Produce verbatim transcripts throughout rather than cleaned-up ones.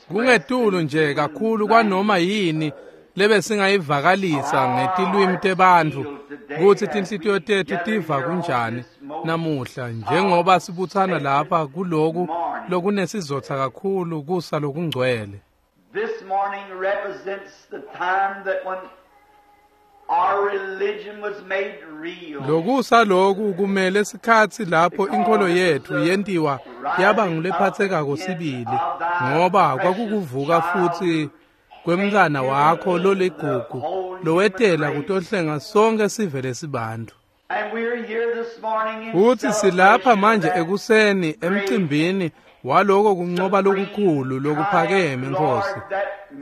Kungetulu nje kakhulu kwanoma yini lebesingayivakalisa ngetilwimi tebantfu kutsi tinhlitiyo tetfu tiva kunjani namuhla njengoba sibutsana lapha kuloku lokunesizotha kakhulu kusa lokungcwele. This morning represents the time that when our religion was made real. Lokusa loku kumele sikhatsi lapho inkholo yetfu yentiwa yaba ngulephatsekako sibili, ngoba kwakukuvuka futsi kwemntfwana wakho loligugu lowetela kutohlenga sonke sive lesibantfu. And we're here this morning in Futsi silapha manje celebration of ekuseni that emcimbini waloko kuncoba lokukhulu lokuphakeme Nkosi,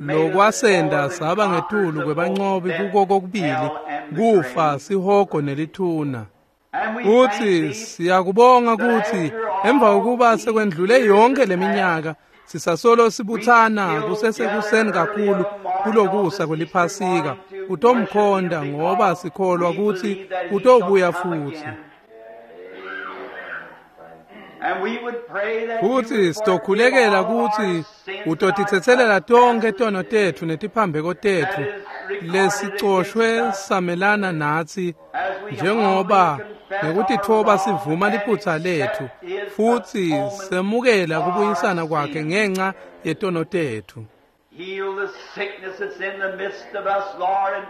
lokwasenta saba ngetulu kwebancobi kuko kokubili kufa, sihogo nelithuna. And we Futsi thank thee siyakubonga kutsi emva kokuba sekwendlule yonke leminyaka sisasolo sibutsana kusesekuseni kakhulu kulokusa kweliphasika kutomkhonda, ngoba sikholwa kutsi utobuya futsi. And we would pray that you Futsi would sitokhulekela forgive all kutsi our sins utotitsetselela and tonkhe tono tetfu netiphambeko tetfu lesicoshwe samelana natsi, as we njengoba humbly confess ngekutitfoba our sivuma wrong liphutsa and letfu accept his futsi atonement semukela for our kubuyisana kwakhe sins. ngenxa yetono tetfu. Heal the sickness that's in the midst of us, Lord, and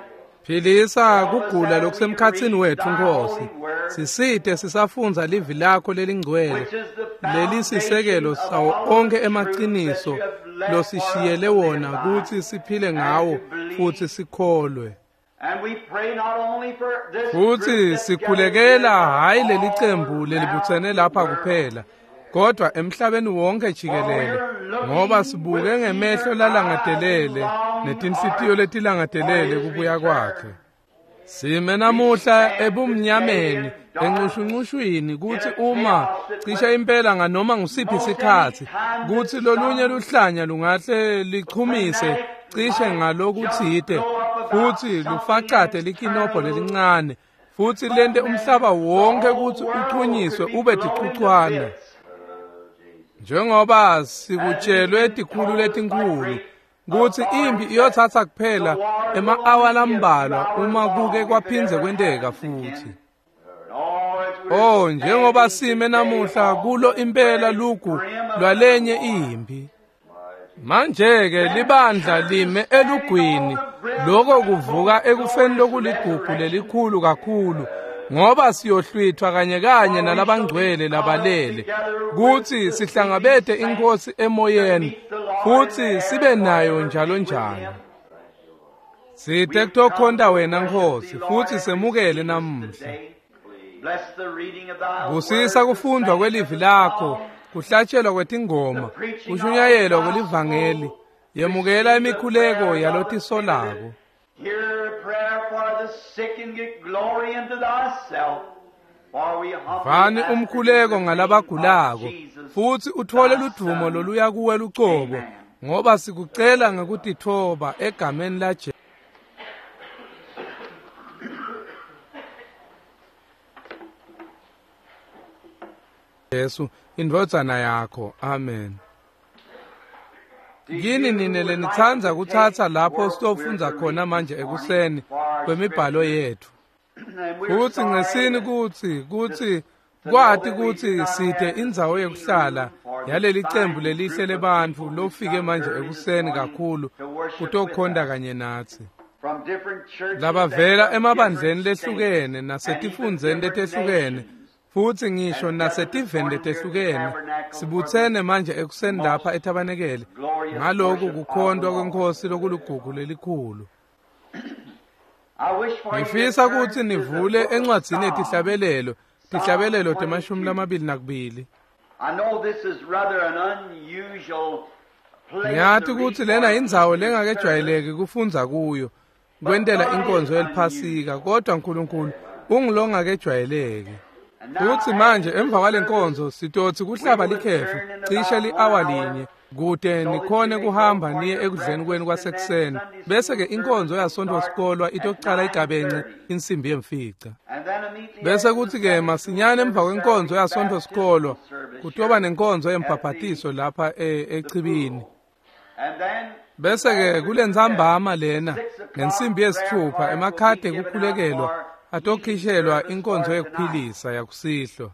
Philisa kugula lokusemkhatsini wetfu Nkosi. Sisite sisafundza livi lakho lelingcwele which is the lelisisekelo foundation of sawo all onkhe the truth that emaciniso you have left for us losishiyele to live wona by. kutsi siphile ngawo futsi sikholwe. And we pray not only for this Futsi group that's sikhulekela gathered here, hhayi but leli all cembu lelibutsene around lapha the world. kuphela, kodwa emhlabeni wonke jikelele, ngoba sibuke ngemehlo lalangatelele netinhlitiyo letilangatelele kubuya kwakhe. Sime namuhla ebumnyameni encushuncushwini kutsi uma cishe impela nganoma ngusiphi sikhatsi kutsi lolunye luhlanya lungahle lichumise cishe ngalokutsite futsi lufacate likinobho lelincane futsi lente umhlaba wonke kutsi uchunyiswe ube ticucwana. Njengoba sikutshelwe tikhulu letinkhulu kutsi impi iyotsatsa kuphela ema-awa lambalwa uma kuke kwaphindze kwenteka futsi. Oh, njengoba sime namuhla kulo impela lugu lwalenye impi. Manje-ke libandla lime elugwini, loko kuvuka ekufeni lokuligugu lelikhulu kakhulu, ngoba siyohlwithwa kanye kanye nalabangcwele labalele kutsi sihlangabete iNkosi emoyeni futsi sibe nayo njalo njalo. Site kutokhonta wena Nkosi futsi semukele namuhla. Busisa kufundwa kwelivi lakho, kuhlatshelwa kwetingoma, kushunyayelwa kwelivangeli. Yemukela imikhuleko yalotisolako. Hear a prayer for the sick and get glory unto thyself. For we humbly Vani ask umkhuleko in the name ngalabagulako of Jesus, futsi utfole thy ludvumo Son. loluya kuwe lucobo, Amen. ngoba sikucela ngekutitfoba egameni laJesu. Jesu indvodzana yakho. Amen. Do Kini you nine would like lenitsandza to kutsatsa take lapho where sitofundza we're to khona read manje this ekuseni morning for our kwemibhalo scripture. yetfu. And we're Futsi sorry ngesini that kutsi kutsi to know kwati that we do kutsi not site have the indzawo sitting yekuhlala room for this yaleli cembu fine lelihle group of lebantfu people who lofike come manje early this ekuseni morning kakhulu to worship with kutokhonta us. kanye natsi. From different churches and Labavela from emabandleni different states lehlukene and even nasetifundzeni different letehlukene nations. futsi ngisho And gathered this nasetiveni morning here at the letehlukene tabernacle for this sibutsene manje ekuseni lapha most etabanekele glorious ngaloku worship of the kukhontwa Lord. kweNkosi lokuligugu lelikhulu. I wish for you to Ngifisa turn kutsi to the nivule book of encwadzini Psalms, yetihlabelelo, Psalm tihlabelelo temashumi twenty-two. lamabili nakubili. I know this is rather an unusual place Ngiyati to read kutsi for lena an indzawo Easter service, lengakejwayeleki kufundza kuyo but kwentela God is inkonzo unusual. yeliphasika, kodwa Nkulunkulu ungulongakejwayeleki. Futsi manje emva kwalenkonzo sitotsi kuhlaba likhefu cishe li-awa linye kute nikhone kuhamba niye ekudleni kwenu kwasekuseni, bese-ke inkonzo yaSontfo sikolwa itocala igabence insimbi yemfica. Bese kuthi-ke masinyane emva kwenkonzo yaSontfo sikolwa kutoba nenkonzo yembhabhatiso lapha echibini. Bese-ke kulentsambama lena ngensimbi yesitfupha emakhadi ekukhulekelwa atokhishelwa inkonzo yekuphilisa yakusihlwa.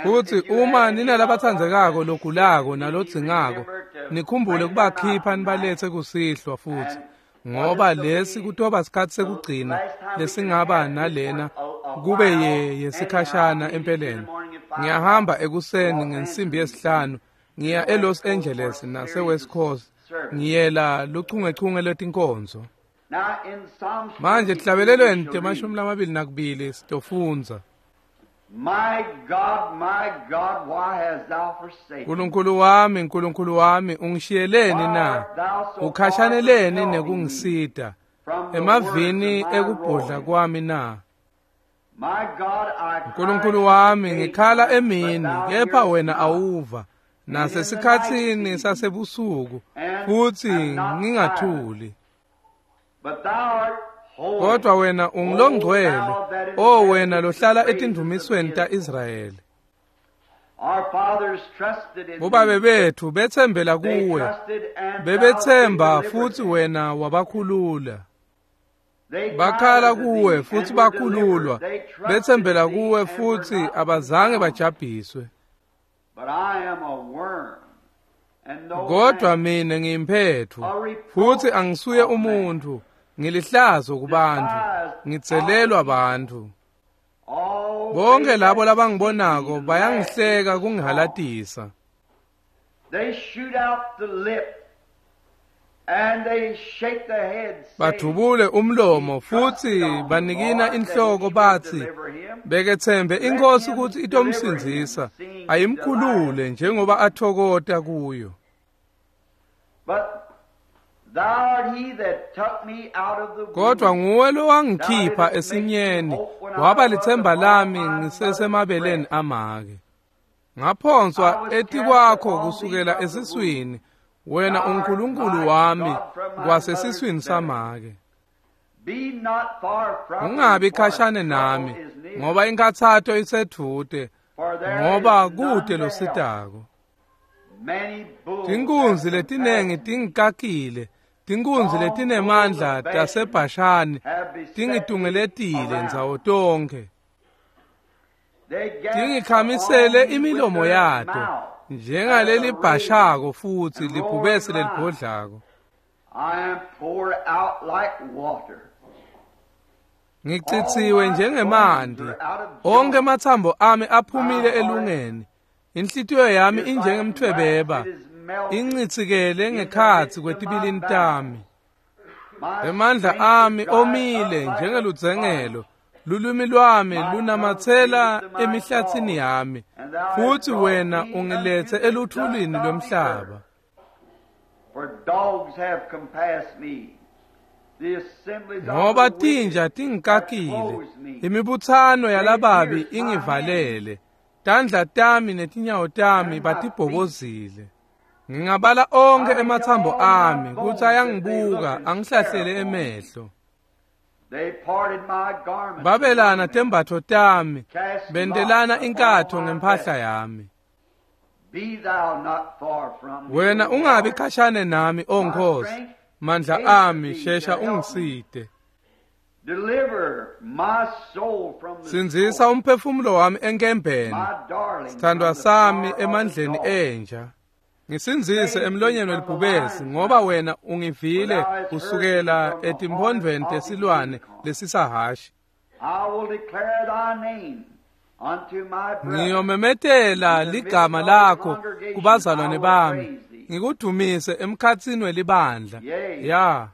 Futsi uma ninalabatsandzekako logulako nalodzingako, nikhumbule kubakhipha nibaletse kusihlwa futsi, ngoba lesi kutoba sikhatsi sekugcina lesingaba nalena kube ye yesikhashana empeleni. Ngiyahamba ekuseni ngensimbi yesihlanu ngiya eLos Angeles nase-West Coast, ngiyela luchungechunge lwetinkonzo. Manje tihlabelelweni temashumi lamabili nakubili sitofundza. My God, my God, why hast thou forsaken? Nkulunkulu wami, Nkulunkulu wami, ungishiyeleni na? Ukhashaneleni nekungisita emavini ekubhodla kwami na? My God, I Nkulunkulu wami, ngikhala emini, kepha wena awuva, nasesikhatsini sasebusuku futsi ngingathuli. But thou art holy. Kodwa wena ungilongcwele, o wena lohlala etindumisweni ta-Israyeli. Our fathers trusted in Bobabe thee. bethu betsembela They kuwe, trusted and thou bebetsemba didst futsi deliver them. wena wabakhulula. They cried Bakhala unto kuwe thee futsi and were bakhululwa, delivered. They trusted betsembela thee kuwe and were futsi not abazange confounded. bajabhiswe. But I am a worm and no Kodwa man, mina ngiyimphetfu a reproach futsi angisuye of man. umuntfu, ngilihlazo kubantfu, Despised ngitselelwa of the people. bantfu. All Bonke they labo that see labangibonako me laugh me bayangihleka to scorn. kungihalatisa. They shoot out the lip and they shake the head, saying, Badubule umlomo He futsi trusted on the banikina Lord that inhloko he would batsi, deliver him. beketsembe Let inkosi him kutsi deliver him, itomsindzisa, seeing he ayimkhulule delighteth njengoba athokota kuyo. But thou art he that took me out of the Kodwa womb. nguwe Thou lowangikhipha didst make me esinyeni, hope when I waba was litsemba upon lami my mother's ngisesemabeleni breast. amake. I Ngaphonswa was cast etikwakho upon thee kusukela from the womb. esiswini, wena Thou art uNkulunkulu my wami God from my mother's kwasesiswini belly. samake. Be not far from me, Ungabi for khashane trouble nami, is near. ngoba inkathato isedvute, For there ngoba is none kute to help. lositako. Many bulls have Tinkunzi letinengi compassed me. tingikakile, tinkunzi Strong bulls letinemandla of Bashan taseBhashani have beset me tingitungeletile around. ndzawo tonkhe. They gasp upon Tingikhamisele me with imilomo their yato mouth as a raven njengalelibhashako futsi and roaring libhubesi lion. lelibhodlako. I am poured out like water. All Ngicitsiwe my bones njengemanti, are out of onke joint. ematsambo ami My aphumile heart elungeni. Inhlitiyo yami is like wax, injengemtfwebeba, it is melted incitsikele in the ngekhatsi midst of my kwetibilini bowels. tami. My Emandla strength is ami dried up omile like a njengeludzengelo, pottage. lulwimi lwami My tongue lunamatsela cleaveth to my emihlatsini jaws, yami, and thou hast futsi brought wena me ungiletse unto the dust eluthulini of the lwemhlaba. earth. For dogs have compassed me. The assemblies of Ngoba the wicked tinja have tingikakile, closed me. imibutsano They yalababi pierced my hands ingivalele, tandla tami netinyawo tami and my feet. batibhobozile. Ngingabala onke I may tell ematsambo all my ami kutsi bones that they look ayangibuka and stare angihlahlele upon me. emehlo. They parted my garments Babelana among them, tembatfo tami, cast lots bentelana upon inkatho my ngemphahla vestment. yami. Be thou not far from me, Wena O ungabi Lord. khashane nami, O My Nkosi, strength, mandla haste ami thee to shesha help me. ungisite. Deliver my soul from the Sindzisa sword, umphefumulo wami enkembeni, my darling sithandwa from the sami power of the emandleni dog. enja. Ngisindzise Save me emlonyeni from the welibhubesi, lion's ngoba mouth, wena for ungivile thou hast heard me kusukela from the horn etimphondvweni of the tesilwane unicorn. lesisahashi. I will declare thy name unto my brethren. Ngiyomemetela In the midst ligama of the lakho congregation I kubazalwane will bami, praise thee. ngikudumise emkhatsini welibandla. Yea, Ya,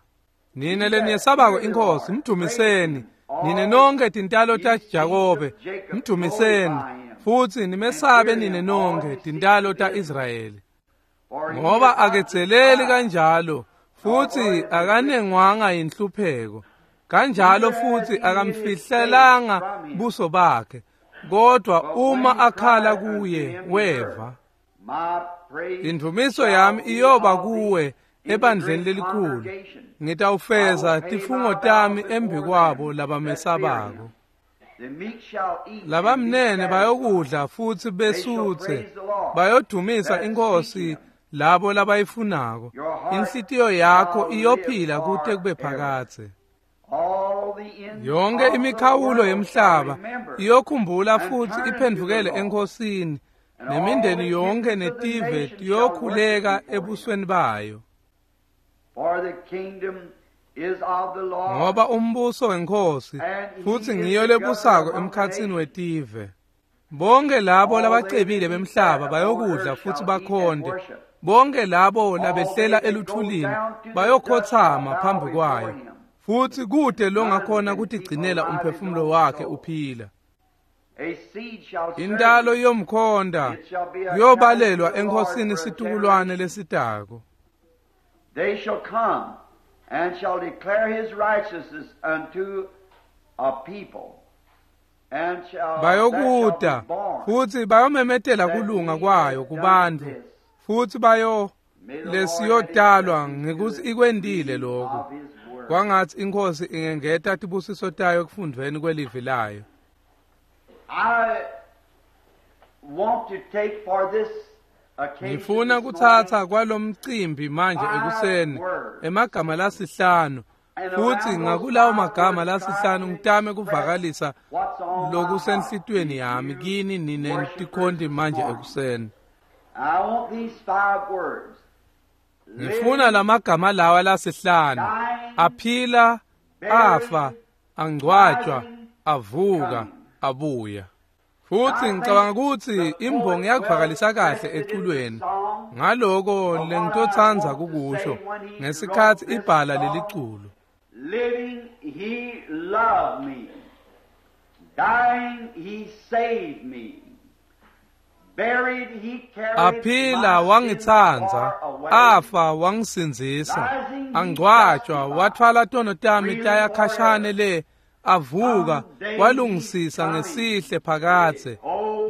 nine ye that leniyesabako fear the inkosi, Lord, praise mdumiseni. him. Nine All nonke tintalo ye seeds taJakobe, of Jacob, mdumiseni. glorify him, Futsi and nimesabe fear nine him, all nonke ye seeds tintalo of Israel. ta-Israyeli. For he Ngoba is not aketseleli despised, kanjalo, nor futsi for his affliction, akanengwanga yinhlupheko. Kanjalo neither has futsi he hid his face akamfihlelanga from him. buso bakhe. Kodwa uma akhala kuye weva. Indumiso yami iyoba kuwe ebandleni lelikhulu. Ngitawufeza tifungo tami embikwabo labamesabako. Labamnene bayokudla futhi besuthe, bayodumisa inkosi labo labayifunako. Inhlitiyo yakho iyophila kute kube phakadze. Yonke imikhawulo yemhlaba iyokhumbula futhi iphendvukele enkosini, nemindeni yonke netive tiyokhuleka ebusweni bayo. Ngoba umbuso wenkosi futhi ngiyo lebusako emkhatsini wetive. Bonke labo labacebile bemhlaba bayokudla futhi bakhonde. Bonke labo labehlela eluthulini bayokhothama phambi kwayo. Futhi kude longakhona kutigcinela umphefumulo wakhe uphila. Intalo yomkhonda kuyobalelwa enkosini situkulwane lesitako. They shall come and shall declare his righteousness unto a people, and shall bayokuda futhi bayomemetela kulunga kwayo kubantu, futhi bayo lesiyodalwa ngekuthi ikwendile lokho. Kwangathi inkosi ingengeta tibusiso tayo ekufundveni kwelivi layo. I want to take for this Ngifuna kutsatsa kwalomcimbi manje ekuseni emagama lasihlanu, futhi ngakulawo magama lasihlanu ngitame kuvakalisa lokusenhlitiyweni yami kini nine tikhonti manje ekuseni. I want these five words. Ngifuna lamagama lawa lasihlanu: aphila, afa, angcwatshwa, avuka, abuya. Futhi ngicabanga ukuthi imbongi yakuvakalisa kahle eculweni ngaloko lengitotsandza kukusho ngesikhathi ibhala leliculo. Living he loved me, dying he saved me, buried he carried Aphila wangitsandza, afa wangisindzisa, angcwatshwa wathwala tono tami taya khashane le, avuka walungisisa ngesihle phakadze.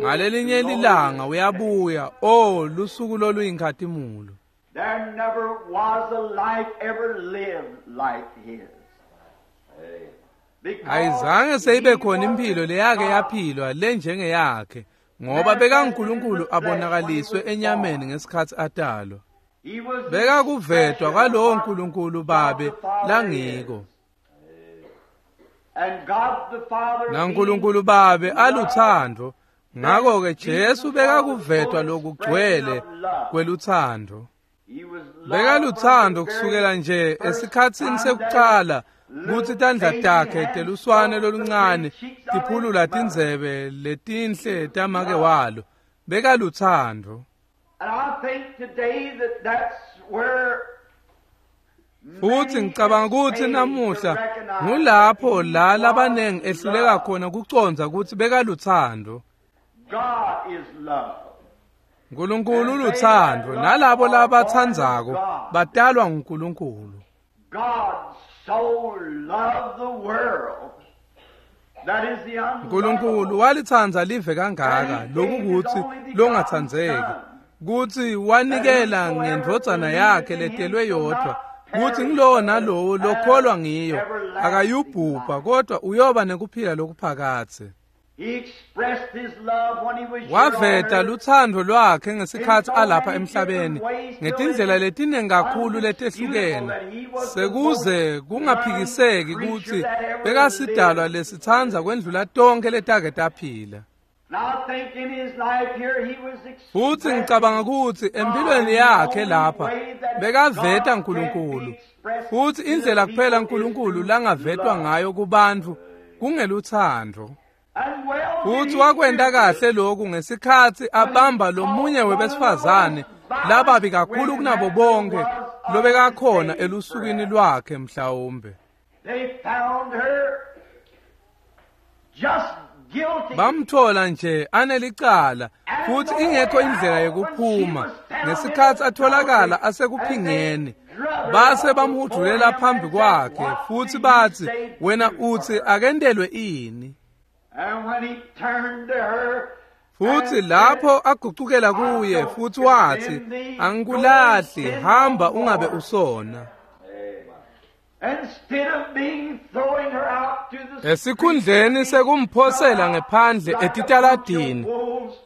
Ngalelinye lilanga uyabuya, oh lusuku loluyinkhatimulo. There never was a life ever lived like his. Ayizange seyibe khona impilo leyake yaphilwa lenjengeyakhe, ngoba bekaNkulunkulu abonakaliswe enyameni ngesikhathi atalwa. Bekakuvetwa kwalowo Nkulunkulu Babe langiko. NaNkulunkulu Babe aluthando, ngakho-ke Jesu bekakuvetwa lokugcwele kweluthando. Bekaluthando kusukela nje esikhatsini sekucala kutsi tandla takhe teluswane loluncane tiphulula tindzebe letinhle tamake walo. Bekaluthando. Futhi ngicabanga ukuthi namuhla ngulapho la labanengi ehluleka khona kucondza kutsi bekaluthando. Nkulunkulu uluthando, nalabo labatsandzako batalwa nguNkulunkulu. Nkulunkulu walitsandza live kangaka lokukutsi longatsandzeki, kutsi wanikela ngendvodzana yakhe letelwe yodvwa, kutsi ngilowo nalowo lokholwa ngiyo akayubhubha kodwa uyoba nekuphila lokuphakadze. Waveta luthando lwakhe ngesikhathi alapha emhlabeni ngetindlela letiningi kakhulu letehlukene, sekuze kungaphikiseki kutsi bekasidalwa lesitsandza kwendlula tonke letake taphila. Futhi ngicabanga kutsi empilweni yakhe lapha bekaveta Nkulunkulu, futhi indlela kuphela Nkulunkulu langavetwa ngayo kubantfu kungeluthando. Futhi wakwenta kahle lokhu ngesikhathi abamba lomunye webesifazane lababi kakhulu kunabo bonke lobekakhona elusukwini lwakhe mhlawumbe. Bamthola nje anelicala futhi ingekho indlela yokuphuma ngesikhathi atholakala asekuphingeni. Base bamhudulela phambi kwakhe futhi bathi, wena uthi akentelwe ini? And when he turned to her, Futhi lapho agucukela kuye futhi wathi, angikulahli, hamba ungabe usona. Instead of being throwing her out to the Esikhundleni sekumphosela ngephandle etitaladini,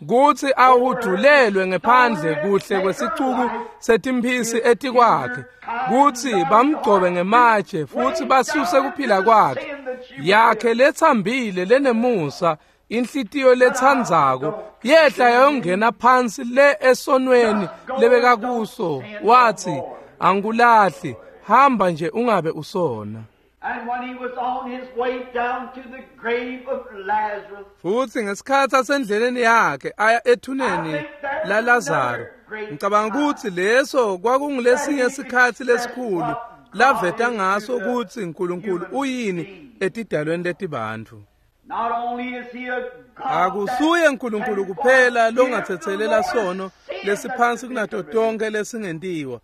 kuthi ahudulelwe ngephandle kuhle kwesicuku setimphisi etikwakhe, kuthi bamgcobe ngematshe futhi basuse kuphila kwakhe, yakhe lethambile lenemusa, inhlitiyo lethandzako yehla yayongena phansi le esonweni lebekakuso, wathi, angikulahli, hamba nje ungabe usona. And when he was on his way down to the grave of Lazarus, Futhi ngesikhathi asendleleni yakhe aya ethuneni la Lazaro, ngicabanga ukuthi leso kwakungulesinye isikhathi lesikhulu laveta ngaso ukuthi uNkulunkulu uyini etidalweni letibantfu. not only is he a God Akusuye uNkulunkulu kuphela longathethelela sono lesiphansi kunato tonke lesingentiwa,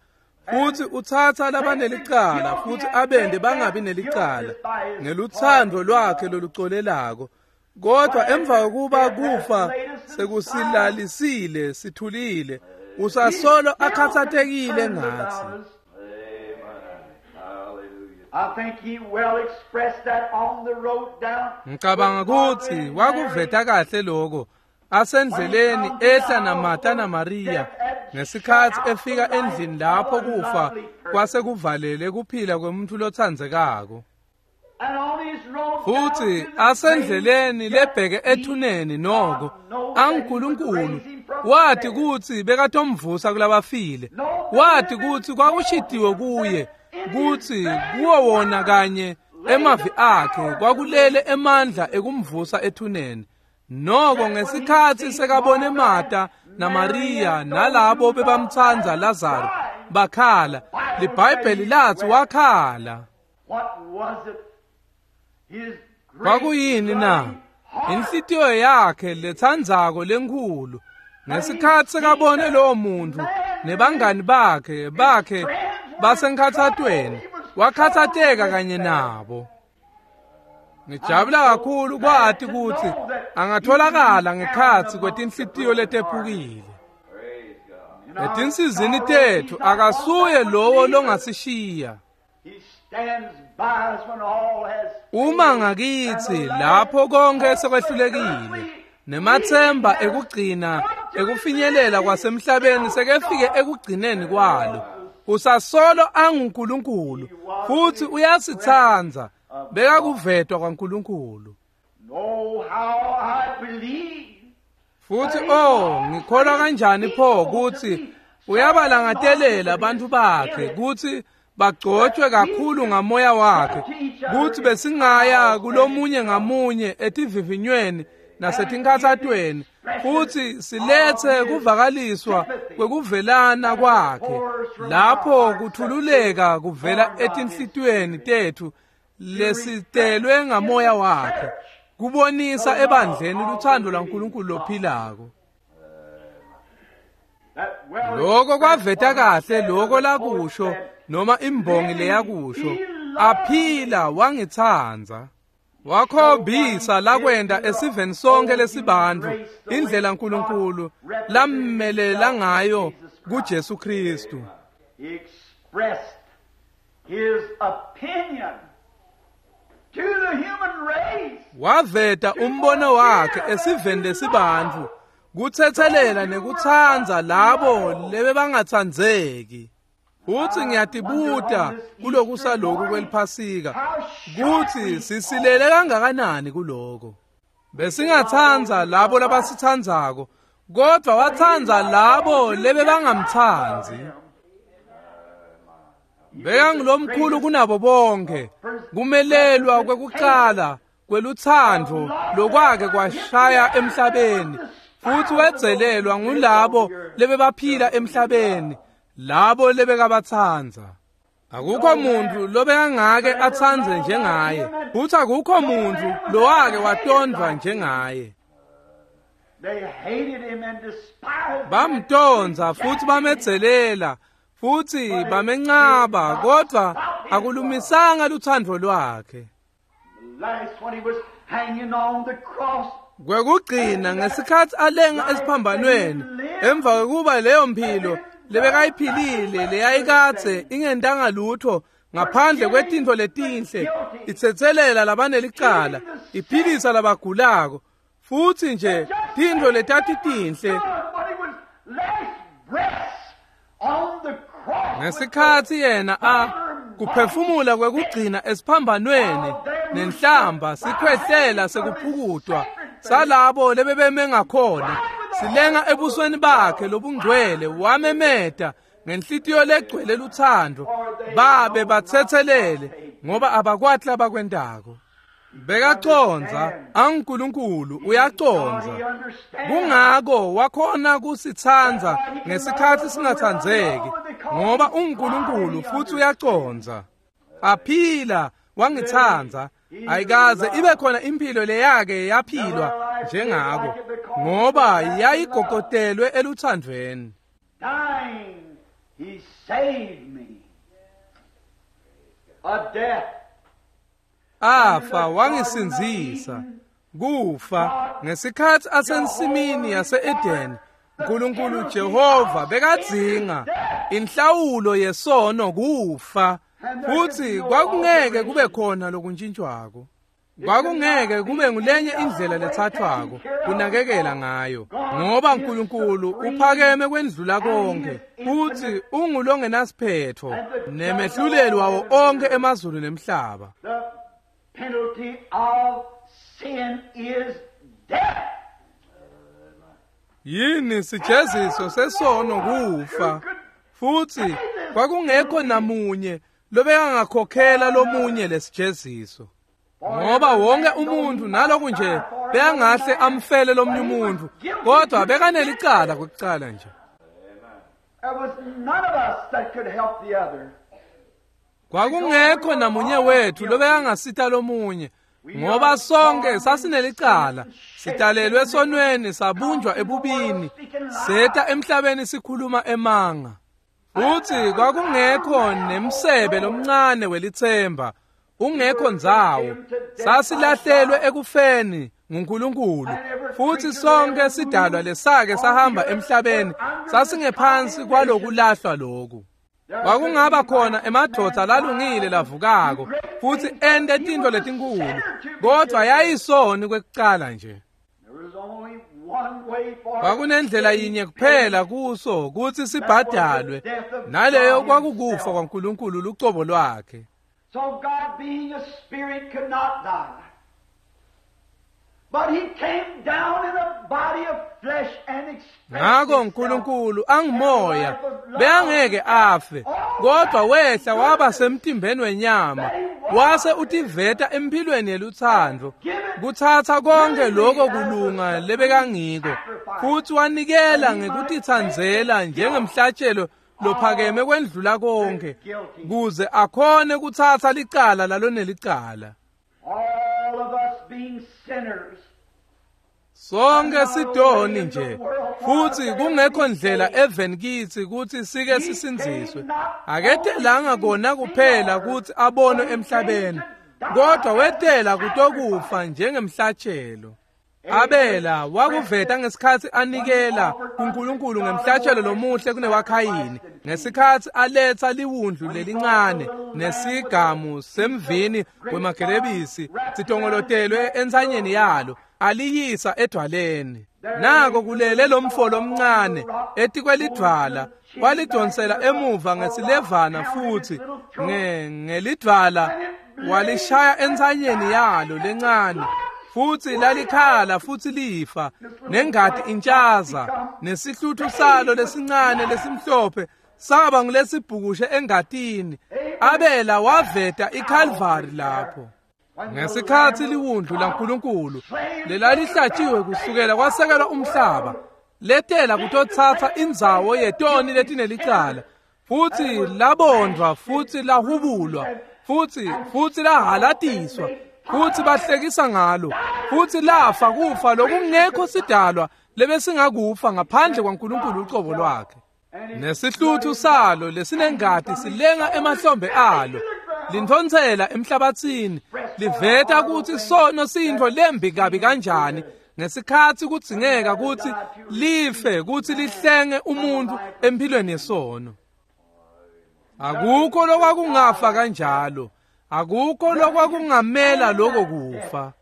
futhi uthatha labanelicala futhi abende bangabi nelicala ngeluthando lwakhe lolucolelako. Kodwa emva kokuba kufa sekusilalisile sithulile, usasolo akhathatekile ngathi. I think he well expressed that on the road down. Ngicabanga ukuthi wakuveta kahle lokho asendleleni ehla naMartha naMaria ngesikhathi efika endlini lapho kufa kwase kuvalele kuphila kwemuntu lothandzekako. And on his road Futhi down to the asendleleni grave, lebheke ethuneni noko aNkulunkulu wathi kuthi bekatomvusa kulabafile, wathi kuthi kwakushitiwe kuye kuthi kuwo wona kanye emavi akhe kwakulele emandla ekumvusa ethuneni. Noko ngesikhathi sekabone Martha naMaria nalabo bebamtsandza Lazaro bakhala, liBhayibheli lathi wakhala. What was it? His great Kwakuyini na? loving heart. Inhlitiyo yakhe lethandzako lenkhulu ngesikhathi sekabone lowo muntu nebangani bakhe bakhe basenkhathatweni, wakhathateka kanye nabo. Ngijabula kakhulu kwati ukuthi angatholakala ngekhatsi kwetinhlitiyo letephukile. Etinsizini tethu akasuye lowo longasishiya. He stands by us when all has Uma ngakithi lapho konke sekwehlulekile nemathemba ekugcina ekufinyelela kwasemhlabeni sekefike ekugcineni kwalo, usasolo anguNkulunkulu futhi uyasithandza, bekakuvetwa kwaNkulunkulu. Know how I believe. Futhi oh, ngikholwa kanjani pho ukuthi uyabalangatelela abantu bakhe ukuthi bagcotshwe kakhulu ngamoya wakhe, kuthi besingaya kulomunye ngamunye etivivinyweni nasetinkhathatweni futhi silethe kuvakaliswa kwekuvelana kwakhe lapho kuthululeka kuvela etinhlitiyweni tethu lesitelwe ngamoya wakhe, kubonisa ebandleni luthando lwaNkulunkulu lophilako. That well Lokho kwaveta kahle lokho lakusho noma imbongi leyakusho, aphila wangithandza. Wakhombisa lakwenda esiveni sonke lesibantfu indlela uNkulunkulu lammelela ngayo kuJesu Kristu. He expressed his opinion to the human race. Waveta umbono wakhe esiveni lesibantfu, kuthethelela nekutsandza labo lebebangatsandzeki. Futhi ngiyatibuta kulokusa lokhu kweliphasika kuthi sisilele kangakanani kuloko. Besingatsandza labo labasitsandzako, kodwa watsandza labo lebebangamtsandzi. Bekangulomkhulu kunabo bonke, kumelelwa kwekucala kwelutsandvo lokwake kwashaya emhlabeni, futhi wedzelelwa ngulabo lebebaphila emhlabeni, labo lebekabatsandza. Akukho muntu lobekangake atsandze njengaye, futhi akukho muntu lowake watondvwa njengaye. They hated him and despised him. Bamtonza futhi bamedzelela futhi bamencaba, kodwa akulumisanga lutsandvo lwakhe. Last when he was hanging on the cross, Kwekugcina ngesikhatsi alenga esiphambanweni emva kwekuba leyo mphilo lebekayiphilile leyayikadze ingentanga lutho ngaphandle kwetintfo letinhle itsetselela labanelicala iphilisa labagulako futsi nje tintfo letatitinhle when he was last breaths on the cross, ngesikhatsi yena a kuphefumula kwekugcina esiphambanweni nenhlamba sikhwehlela sekuphukutwa salabo lebebeme ngakhona silenga ebusweni bakhe lobungcwele wamemeta ngenhlitiyo legcwele luthando babe batsetselele ngoba abakwati labakwentako. Bekacondza anguNkulunkulu uyacondza he understands. kungako wakhona kusitsandza ngesikhatsi singatsandzeki ngoba unguNkulunkulu futsi uyacondza. Aphila wangitsandza ayikaze ibe khona impilo leyake yaphilwa njengako ngoba yayigogotelwe eluthandweni. Dying, he saved me. A death Afa wangisindzisa kufa ngesikhatsi asensimini yase-Edeni. uNkulunkulu Jehova bekadzinga inhlawulo yesono kufa futsi kwakungeke kube khona lokuntshintshwako. Kwakungeke kube ngulenye indlela lethathwako kunakekela ngayo ngoba uNkulunkulu uphakeme kwendlula konke futsi ungulongenasiphetho nemehluleli wawo onke emazulu nemhlaba. The penalty of sin is death. Yini sijeziso sesono kufa futsi kwakungekho namunye lobekangakhokhela lomunye lesijeziso ngoba wonke umuntu naloku nje bekangahle amfele lomnye umuntu kodwa bekanelicala kwekucala nje. There was none of us that could help the other. Kwakungekho namunye wethu lobekangasita lomunye ngoba sonke sasinelicala sidalelwe esonweni sabunjwa ebubini seta emhlabeni sikhuluma emanga futsi kwakungekho nemsebe lomncane welithemba ungekho ndzawo sasilahlelwe ekufeni nguNkulunkulu futsi sonke sidalwa lesake sahamba emhlabeni sasingephansi kwalokulahlwa loku. Kwakungaba khona emadvodza lalungile lavukako futsi ente tintfo letinkulu kodvwa yayisoni kwekucala nje. There was only one way for Kwakunendlela yinye kuphela kuso kutsi sibhadalwe naleyo kwakukufa kwaNkulunkulu lucobo lwakhe. So God being a spirit could not die. But he came down in a body of flesh and expressed Ngako himself. uNkulunkulu angimoya bekangeke afe kodwa wehla waba semtimbeni wenyama wase utiveta emphilweni yeluthando kutsatsa konke lokho kulunga lebekangiko futsi wanikela ngekutitsandzela njengemhlatshelo lophakeme kwendlula konke kuze akhone kutsatsa licala lalonelicala. All of us being sinners. Sonke sidoni nje futsi kungekho ndlela eveni kitsi kutsi sike sisindziswe. Aketelanga kona kuphela kutsi abonwe emhlabeni kodwa wetela kutokufa njengemhlatshelo. Abela wakuveta ngesikhatsi anikela kuNkulunkulu ngemhlatshelo lomuhle kunewaKhayini ngesikhatsi aletsa liwundlu lelincane nesigamu semvini wemagelebisi sitongolotelwe entsanyeni yalo aliyisa edwaleni. Nako kulele lomfo lomncane etikwelidvwala walidonsela emuva ngesilevana futsi nge ngelidvwala walishaya entsanyeni yalo lencane futsi lalikhala futsi lifa nengati intshaza nesihluthu salo lesincane lesimhlophe saba ngulesibhukushe engatini. Abela waveta iKalvari lapho ngesikhatsi liwundlu laNkulunkulu lelalihlatshiwe kusukela kwasekelwa umhlaba letela kutotsatsa indzawo yetoni letinelicala futsi labondvwa futsi lahubulwa futsi futsi lahalatiswa futsi bahlekisa ngalo futsi lafa kufa lokungekho sidalwa lebesingakufa ngaphandle kwaNkulunkulu ucobo lwakhe. Nesihluthu salo lesinengati silenga emahlombe alo lintfonsela emhlabatsini Liveta kutsi sono siyintfo lembi kabi kanjani ngesikhatsi kudzingeka kutsi life kutsi lihlenge umuntfu empilweni yesono. Akukho lokwakungafa kanjalo, akukho lokwakungamela lokho kufa.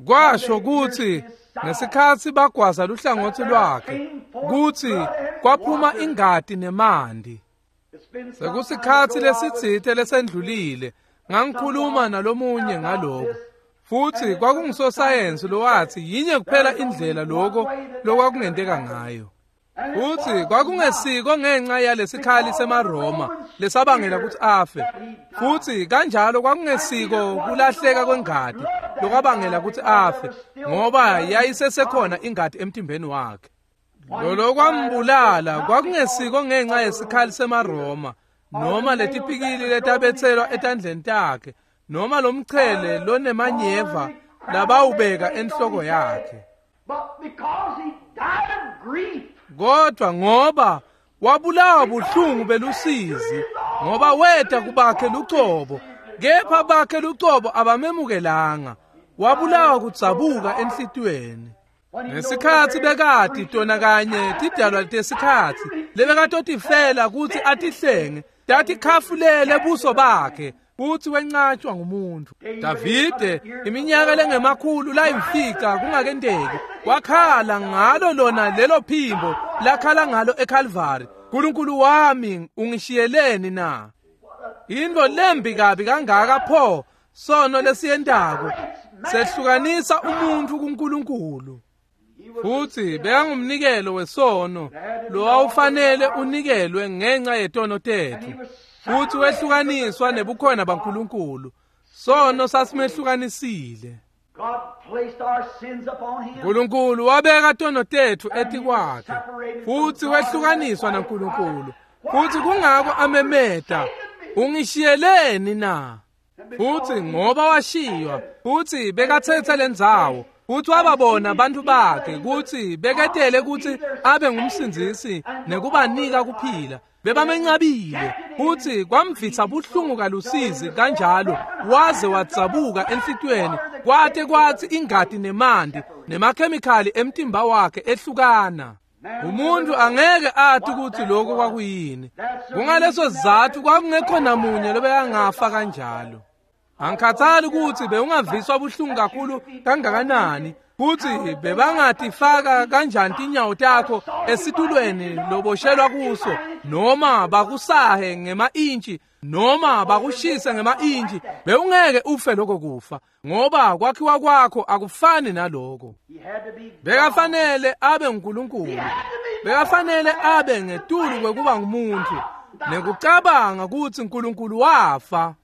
Kwasho kutsi ngesikhatsi bagwaza luhlangotsi lwakhe kutsi kwaphuma ingati nemanti. Sekusikhatsi lesitsite lesendlulile ngangikhuluma nalomunye ngaloko, futsi kwakungusosayensi lowatsi yinye kuphela indlela loko lokwakungenteka ngayo. Futsi kwakungesiko ngenxa yalesikhali semaRoma lesabangela kutsi afe, futsi kanjalo kwakungesiko kulahleka kwengati lokwabangela kutsi afe, ngoba yayisesekhona ingati emtimbeni wakhe. Lolo kwambulala kwakungesiko ngenxa yesikhali semaRoma noma letipikili letabetselwa etandleni takhe noma lomchele lonemanyeva labawubeka enhloko yakhe, kodwa ngoba wabulawa buhlungu belusizi, ngoba weta kubakhe lucobo, kepha bakhe lucobo abamemukelanga. Wabulawa kudzabuka enhlitiyweni. Ngesikhatsi bekati tona kanye tidalwa tesikhatsi lebekatotifela kutsi atihlenge, tatikhafulele buso bakhe futsi wencatshwa ngumuntu. Davide iminyaka lengemakhulu layimfica kungakenteki wakhala ngalo lona lelo phimbo lakhala ngalo eCalvary, "Nkulunkulu wami ungishiyeleni na?" Into lembi kabi kangaka pho sono lesiyentako sehlukanisa umuntu kuNkulunkulu. Futsi bekangumnikelo wesono lowawufanele unikelwe ngenxa yetono tetfu, futsi wehlukaniswa nebukhona baNkulunkulu. Sono sasimehlukanisile. Nkulunkulu wabeka tono tetfu etikwakhe, futsi wehlukaniswa naNkulunkulu. Futsi kungako amemeta, "Ungishiyeleni na?" Futsi ngoba washiywa, futsi bekathethe lendzawo, futsi wababona bantfu bakhe kutsi beketele kutsi abe ngumsindzisi nekubanika kuphila. Bebamencabile, futsi kwamvitsa buhlungu kalusizi kanjalo waze wadzabuka enhlitiyweni, kwate kwatsi ingati nemanti nemakhemikhali emtimba wakhe ehlukana. Umuntu angeke ati kutsi lokho kwakuyini. Kungaleso sizatfu kwakungekho namunye lobekangafa kanjalo. Angikhathali kutsi bewungaviswa buhlungu kakhulu kangakanani, kutsi bebangatifaka kanjani tinyawo takho esitulweni loboshelwa kuso, noma bakusahe ngema-intshi, noma bakushise ngema-intshi, bewungeke ufe lokho kufa, ngoba kwakhiwa kwakho akufani naloko. Bekafanele abe nguNkulunkulu, bekafanele abe ngetulu kwekuba ngumuntu, nekucabanga kutsi uNkulunkulu wafa.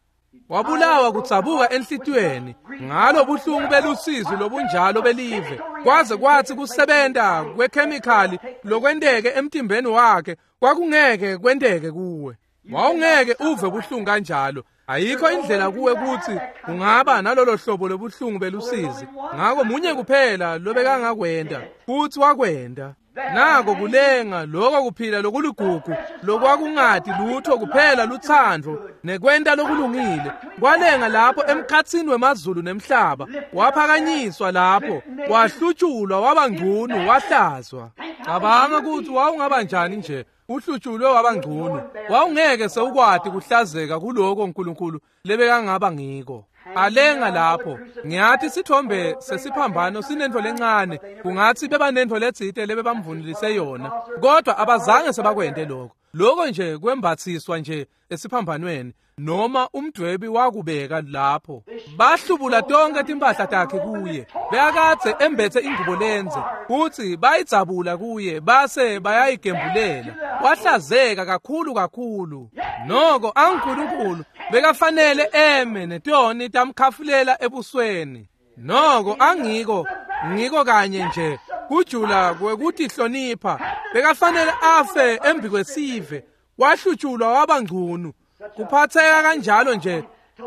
Wabulawa kudzabuka enhlitiyweni ngalo buhlungu belusizi lobunjalo belive, kwaze kwatsi kusebenta kwekhemikhali lokwenteke emtimbeni wakhe kwakungeke kwenteke kuwe. Wawungeke uve buhlungu kanjalo. Ayikho indlela kuwe kutsi ungaba nalolo hlobo lobuhlungu belusizi. Ngako munye kuphela lobekangakwenta, futsi wakwenta. Nako kulenga lokho kuphila lokuligugu lokwakungati lutho kuphela lutsandvo nekwenta lokulungile kwalenga lapho emkhatsini wemazulu nemhlaba, waphakanyiswa lapho, wahlutshulwa waba ngcunu, wahlazwa. Cabanga kutsi wawungaba njani nje uhlutshulwe waba ngcunu, wawungeke sewukwati kuhlazeka kuloko uNkulunkulu lebekangaba ngiko. Alenga lapho, ngiyathi sithombe sesiphambano sinentfo lencane, kungatsi bebanentfo letsite lebebamvunulise yona, kodwa abazange sebakwente lokho. Lokho nje kwembathiswa nje esiphambanweni, noma umdwebi wakubeka lapho. Bahlubula tonke timpahla takhe kuye, bekakadze embethe ingubo lenze, futsi bayidzabula kuye base bayayigembulela. Wahlazeka kakhulu kakhulu. Noko anguNkulunkulu bekafanele eme netoni tamkhafulela ebusweni. Noko angiko ngiko kanye nje kujula kwekutihlonipha, bekafanele afe embi kwesive. Wahlutshulwa waba ngcunu, kuphatheka kanjalo nje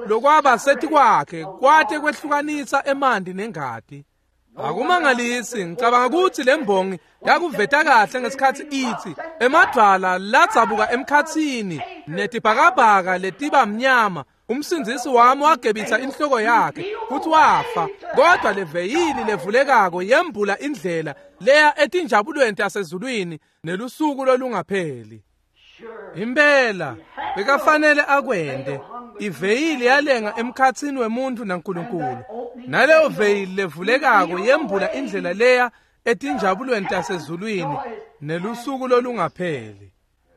lokwaba setikwakhe kwate kwehlukanisa emanti nengati. Akumangalisi, ngicabanga kutsi lembongi yakuveta kahle ngesikhatsi itsi emadvwala ladzabuka emkhatsini netibhakabhaka letiba mnyama, Umsindzisi wami wagebisa inhloko yakhe futhi wafa, kodwa leveyili levulekako yembula indlela leya etinjabulweni tasezulwini nelusuku lolungapheli. Impela bekafanele akwente. Iveyili yalenga emkhatsini wemuntu naNkulunkulu, naleyo veyili levulekako yembula indlela leya etinjabulweni tasezulwini nelusuku lolungapheli.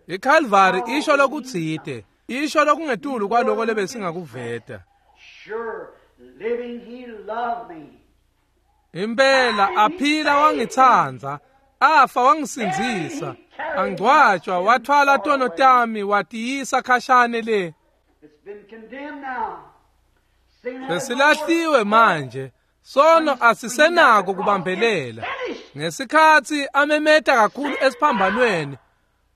ICalvary isho lokutsite, isho lokungetulu kwaloko lebesingakuveta. Impela aphila wangitsandza, afa wangisindzisa, angcwatshwa wathwala tono tami watiyisa khashane le. Sesilahliwe manje, sono asisenako kubambelela. Ngesikhatsi amemeta kakhulu esiphambanweni,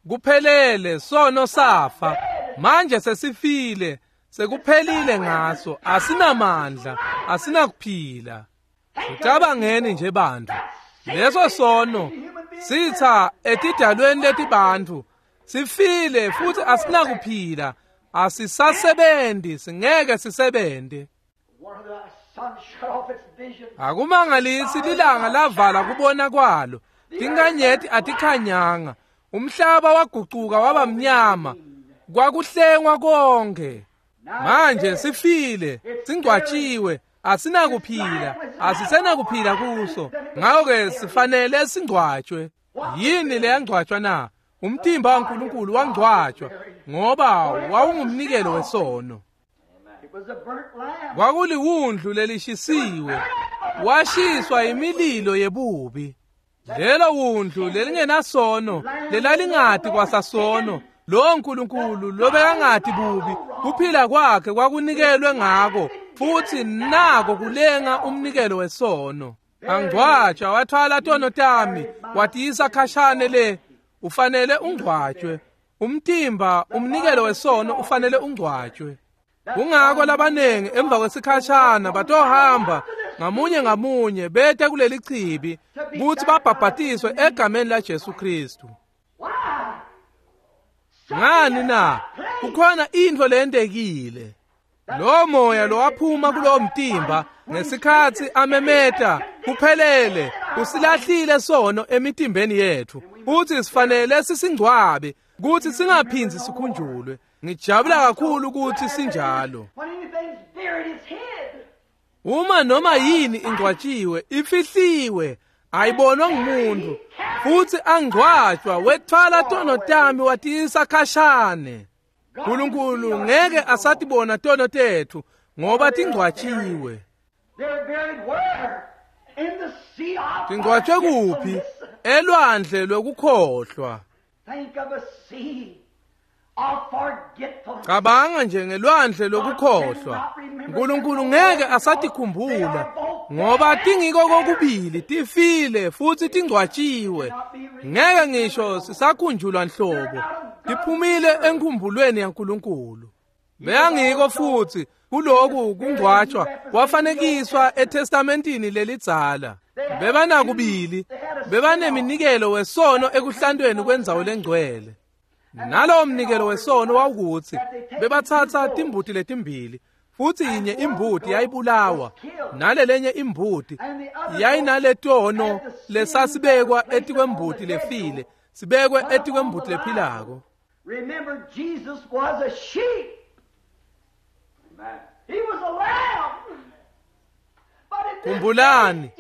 kuphelele, sono safa. Manje sesifile, sekuphelile ngaso, asinamandla, asinakuphila. Ucabangeni nje bantu, leso sono sitha etidalweni letibantfu, sifile futhi asinakuphila, asisasebenzi, singeke sisebente. Akumangalisi lilanga lavala kubona kwalo, tinkanyeti atikhanyanga, umhlaba wagucuka waba mnyama, kwakuhlengwa konke. Manje sifile, singcwatshiwe, asinakuphila, asisenakuphila kuso. Ngakho-ke sifanele singcwatshwe. Yini leyangcwatshwa na? Umtimba waNkulunkulu wangcwatshwa ngoba wawungumnikelo wesono. Kwakuliwundlu lelishisiwe, washiswa imililo yebubi. Lelo wundlu lelingenasono, lelalingati kwasasono, lo Nkulunkulu lobekangati bubi, kuphila kwakhe kwakunikelwe ngako, futhi nako kulenga umnikelo wesono. Angcwatshwa wathwala tono tami watiyisa khashane le. Ufanele ungcwatshwe. Umtimba umnikelo wesono ufanele ungcwatshwe. Kungako labanengi emva kwesikhashana batohamba ngamunye ngamunye bete kuleli chibi kutsi babhabhatiswe egameni la Jesu Kristu. Ngani na? Kukhona intfo leyentekile. Lo moya lowaphuma kulowo mtimba ngesikhatsi amemeta kuphelele, usilahlile sono emitimbeni yethu, futhi sifanele sisingcwabe kutsi singaphindzi sikhunjulwe. Ngijabula kakhulu ukuthi sinjalo. Uma noma yini ingcwatshiwe, ifihliwe, ayibonwa ngumuntu, futhi angcwatshwa wethwala tono tami watiyisa khashane. Nkulunkulu ngeke asatibona tono tethu ngoba tingcwatshiwe. Tingcwatshwe kuphi? Elwandle lwekukhohlwa. Cabanga nje ngelwandle lokukhohlwa. Nkulunkulu ngeke asatikhumbula ngoba tingiko kokubili, tifile futhi tingcwatshiwe. Ngeke ngisho sisakhunjulwa nhlobo, tiphumile enkhumbulweni yaNkulunkulu. Beyangiko futhi kuloku kungcwatshwa kwafanekiswa eTestamentini lelidzala. Bebanakubili, bebaneminikelo wesono ekuhlantweni kwendzawo lengcwele. Nalowo mnikelo wesono wawukutsi bebatsatsa timbuti letimbili, futhi yinye imbuti yayibulawa, nalelenye imbuti yayinaletono lesasibekwa etikwembuti lefile, sibekwe etikwembuti lephilako. Remember, Jesus was a sheep. He was a lamb. Khumbulani,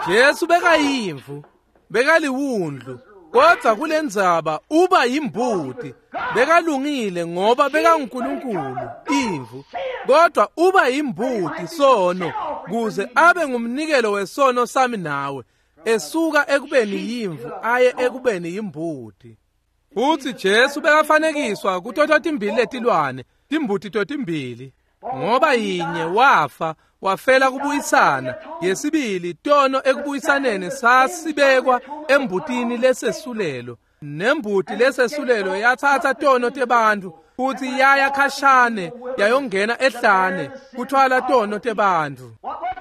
Jesu bekayimvu, bekaliwundlu, kodwa kulendzaba uba yimbuti. Bekalungile ngoba bekanguNkulunkulu, imvu, kodwa uba yimbuti sono kuze abe ngumnikelo wesono sami nawe, esuka ekubeni yimvu aye ekubeni yimbuti. Futhi Jesu bekafanekiswa kutoto timbili letilwane, timbuti totimbili, ngoba yinye wafa wafela kubuyisana, yesibili tono ekubuyisaneni sasibekwa embutini lesesulelo, nembuti lesesulelo yathatha tono tebantfu futhi yaya khashane yayongena ehlane kuthwala tono tebantfu.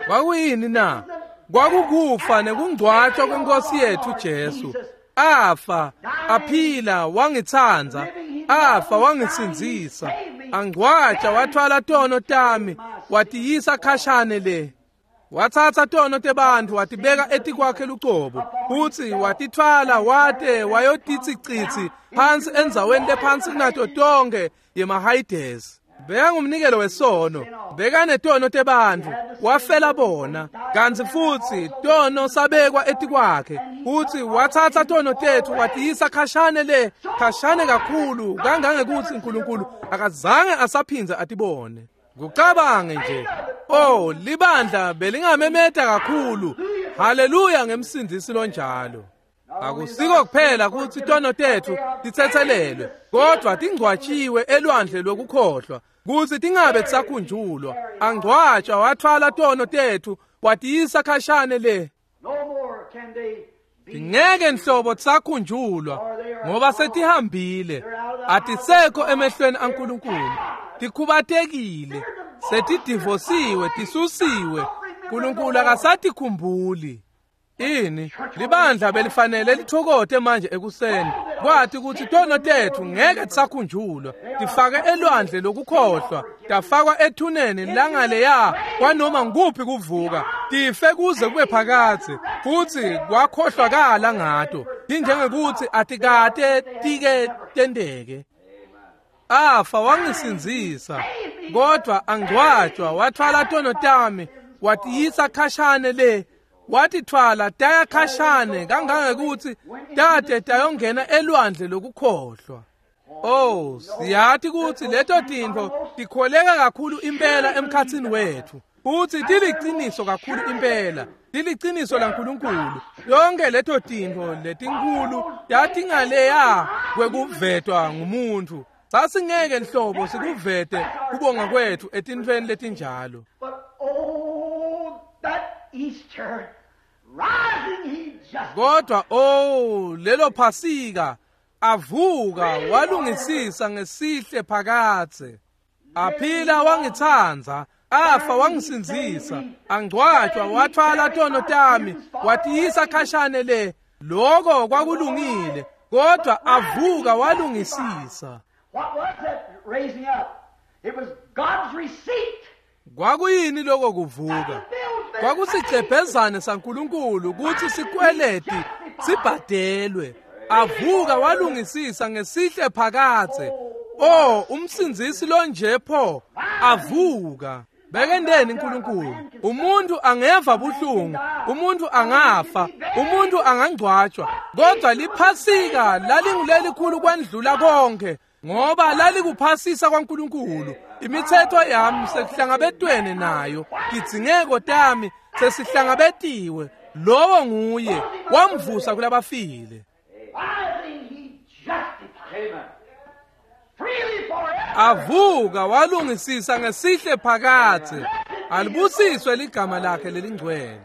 Kwakuyini na? Kwakukufa nekungcwatshwa kwenkosi yethu Jesu. Afa, aphila, wangitsandza, afa, wangisindzisa, Angcwatsha wathwala tono tami watiyisa khashane le. Watsatsa tono tebantfu watibeka etikwakhe lucobo, futsi watitfwala wate wayotitsi phansi endzaweni lephansi kunato tonkhe yemaHayidesi. Bekangumnikelo wesono, bekanetono tebantfu, wafela bona, kantsi futsi tono sabekwa etikwakhe, futsi watsatsa tono tetfu watiyisa khashane le, khashane kakhulu kangangekutsi uNkulunkulu akazange asaphindze atibone. Kucabange nje, oh, libandla belingamemeta kakhulu, haleluya ngemsindisi lonjalo. Akusiko kuphela kutsi tono tetfu titsetselelwe, kodvwa tingcwatshiwe elwandle lwekukhohlwa, kutsi tingabe tisakhunjulwa. Angcwatshwa wathwala tono tetfu watiyisa khashane le. Tingeke nhlobo tisakhunjulwa ngoba setihambile, atisekho emehlweni aNkulunkulu, tikhubatekile, setidivosiwe, tisusiwe. uNkulunkulu akasatikhumbuli. Ini libandla belifanele lithokote manje ekuseni kwathi ukuthi tono tetfu ngeke tisakhunjulwa, tifake elwandle lokukhohlwa, tafakwa ethuneni langaleya kwanoma nguphi kuvuka, tife kuze kube phakadze, futsi kwakhohlwakala ngato, tinjengekuthi atikate tike tenteke. Afa wangisindzisa, kodvwa angcwatshwa wathwala tono tami watiyisa khashane le, watithwala taya khashane kangangekuthi tate tayongena elwandle lokukhohlwa. Oh, siyati kutsi leto tintfo tikholeka kakhulu impela emkhatsini wetfu, futsi tiliciniso kakhulu impela, tiliciniso laNkulunkulu. Yonke leto tintfo letinkhulu tatingaleya kwekuvetwa ngumuntfu, sasingeke nhlobo sikuvete kubonga kwetfu etintfweni letinjalo. Kodwa oh, lelo Phasika avuka walungisisa ngesihle phakadze. Aphila wangitsandza, afa wangisindzisa, angcwatshwa wathwala tono tami watiyisa khashane le. Lokho kwakulungile, kodwa avuka walungisisa. What was that raising up? It was God's receipt. Kwakuyini lokho kuvuka? Kwakusicebhezane saNkulunkulu kutsi sikweleti sibhadelwe. Avuka walungisisa ngesihle phakadze. Oh, umsindzisi lonje pho avuka. Bekendeni uNkulunkulu. Umuntu angeva buhlungu, umuntu angafa, umuntu angangcwatshwa, kodwa liphasika lalingulelikhulu kwandlula konke, ngoba lalikuphasisa kwaNkulunkulu. Imithetho yami sekuhlangabetwene nayo, tidzingeko tami sesihlangabetiwe. Lowo nguye wamvusa kulabafile. Avuka walungisisa ngesihle phakadze. Alibusiswe ligama lakhe lelingcwele.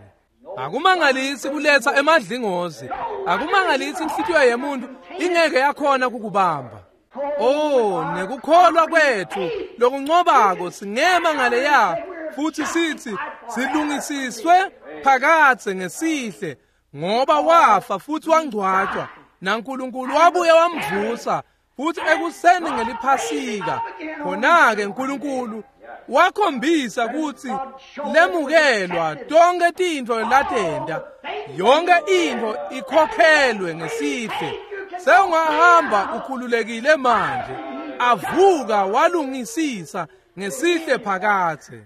Akumangalisi kuletsa emadlingozi, akumangalisi inhlitiyo yemuntu ingeke yakhona kukubamba. Oh, nekukholwa kwetfu lokuncobako singema ngaleya futhi sithi silungisiswe phakadze ngesihle, ngoba wafa futhi wangcwatshwa, naNkulunkulu wabuye wamvusa futhi ekuseni ngeliphasika. Khona-ke uNkulunkulu wakhombisa kutsi lemukelwa tonke tintfo latenta, yonke intfo ikhokhelwe ngesihle. Sewungahamba ukhululekile manje. Avuka walungisisa ngesihle phakadze.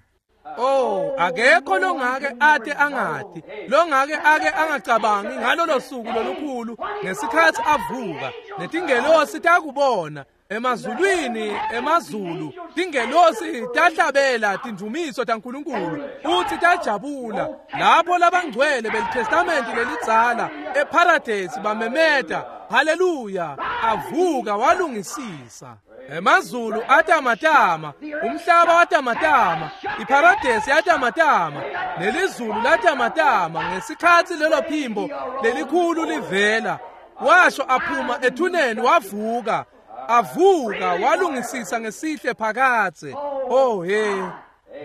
Oh, akekho longake ate angati, longake ake angacabangi ngalolo suku lolukhulu ngesikhathi avuka. Netingelosi takubona emazulwini, emazulu tingelosi tahlabela tindumiso taNkulunkulu futhi tajabula lapho labangcwele belitestamenti lelidzala eParadise bamemeta haleluya. Avuka walungisisa. Emazulu atamatama, umhlaba watamatama, iParadise yatamatama, nelizulu latamatama ngesikhathi lelo phimbo lelikhulu livela. Washo aphuma ethuneni wavuka. Avuka walungisisa ngesihle phakadze. Oh he.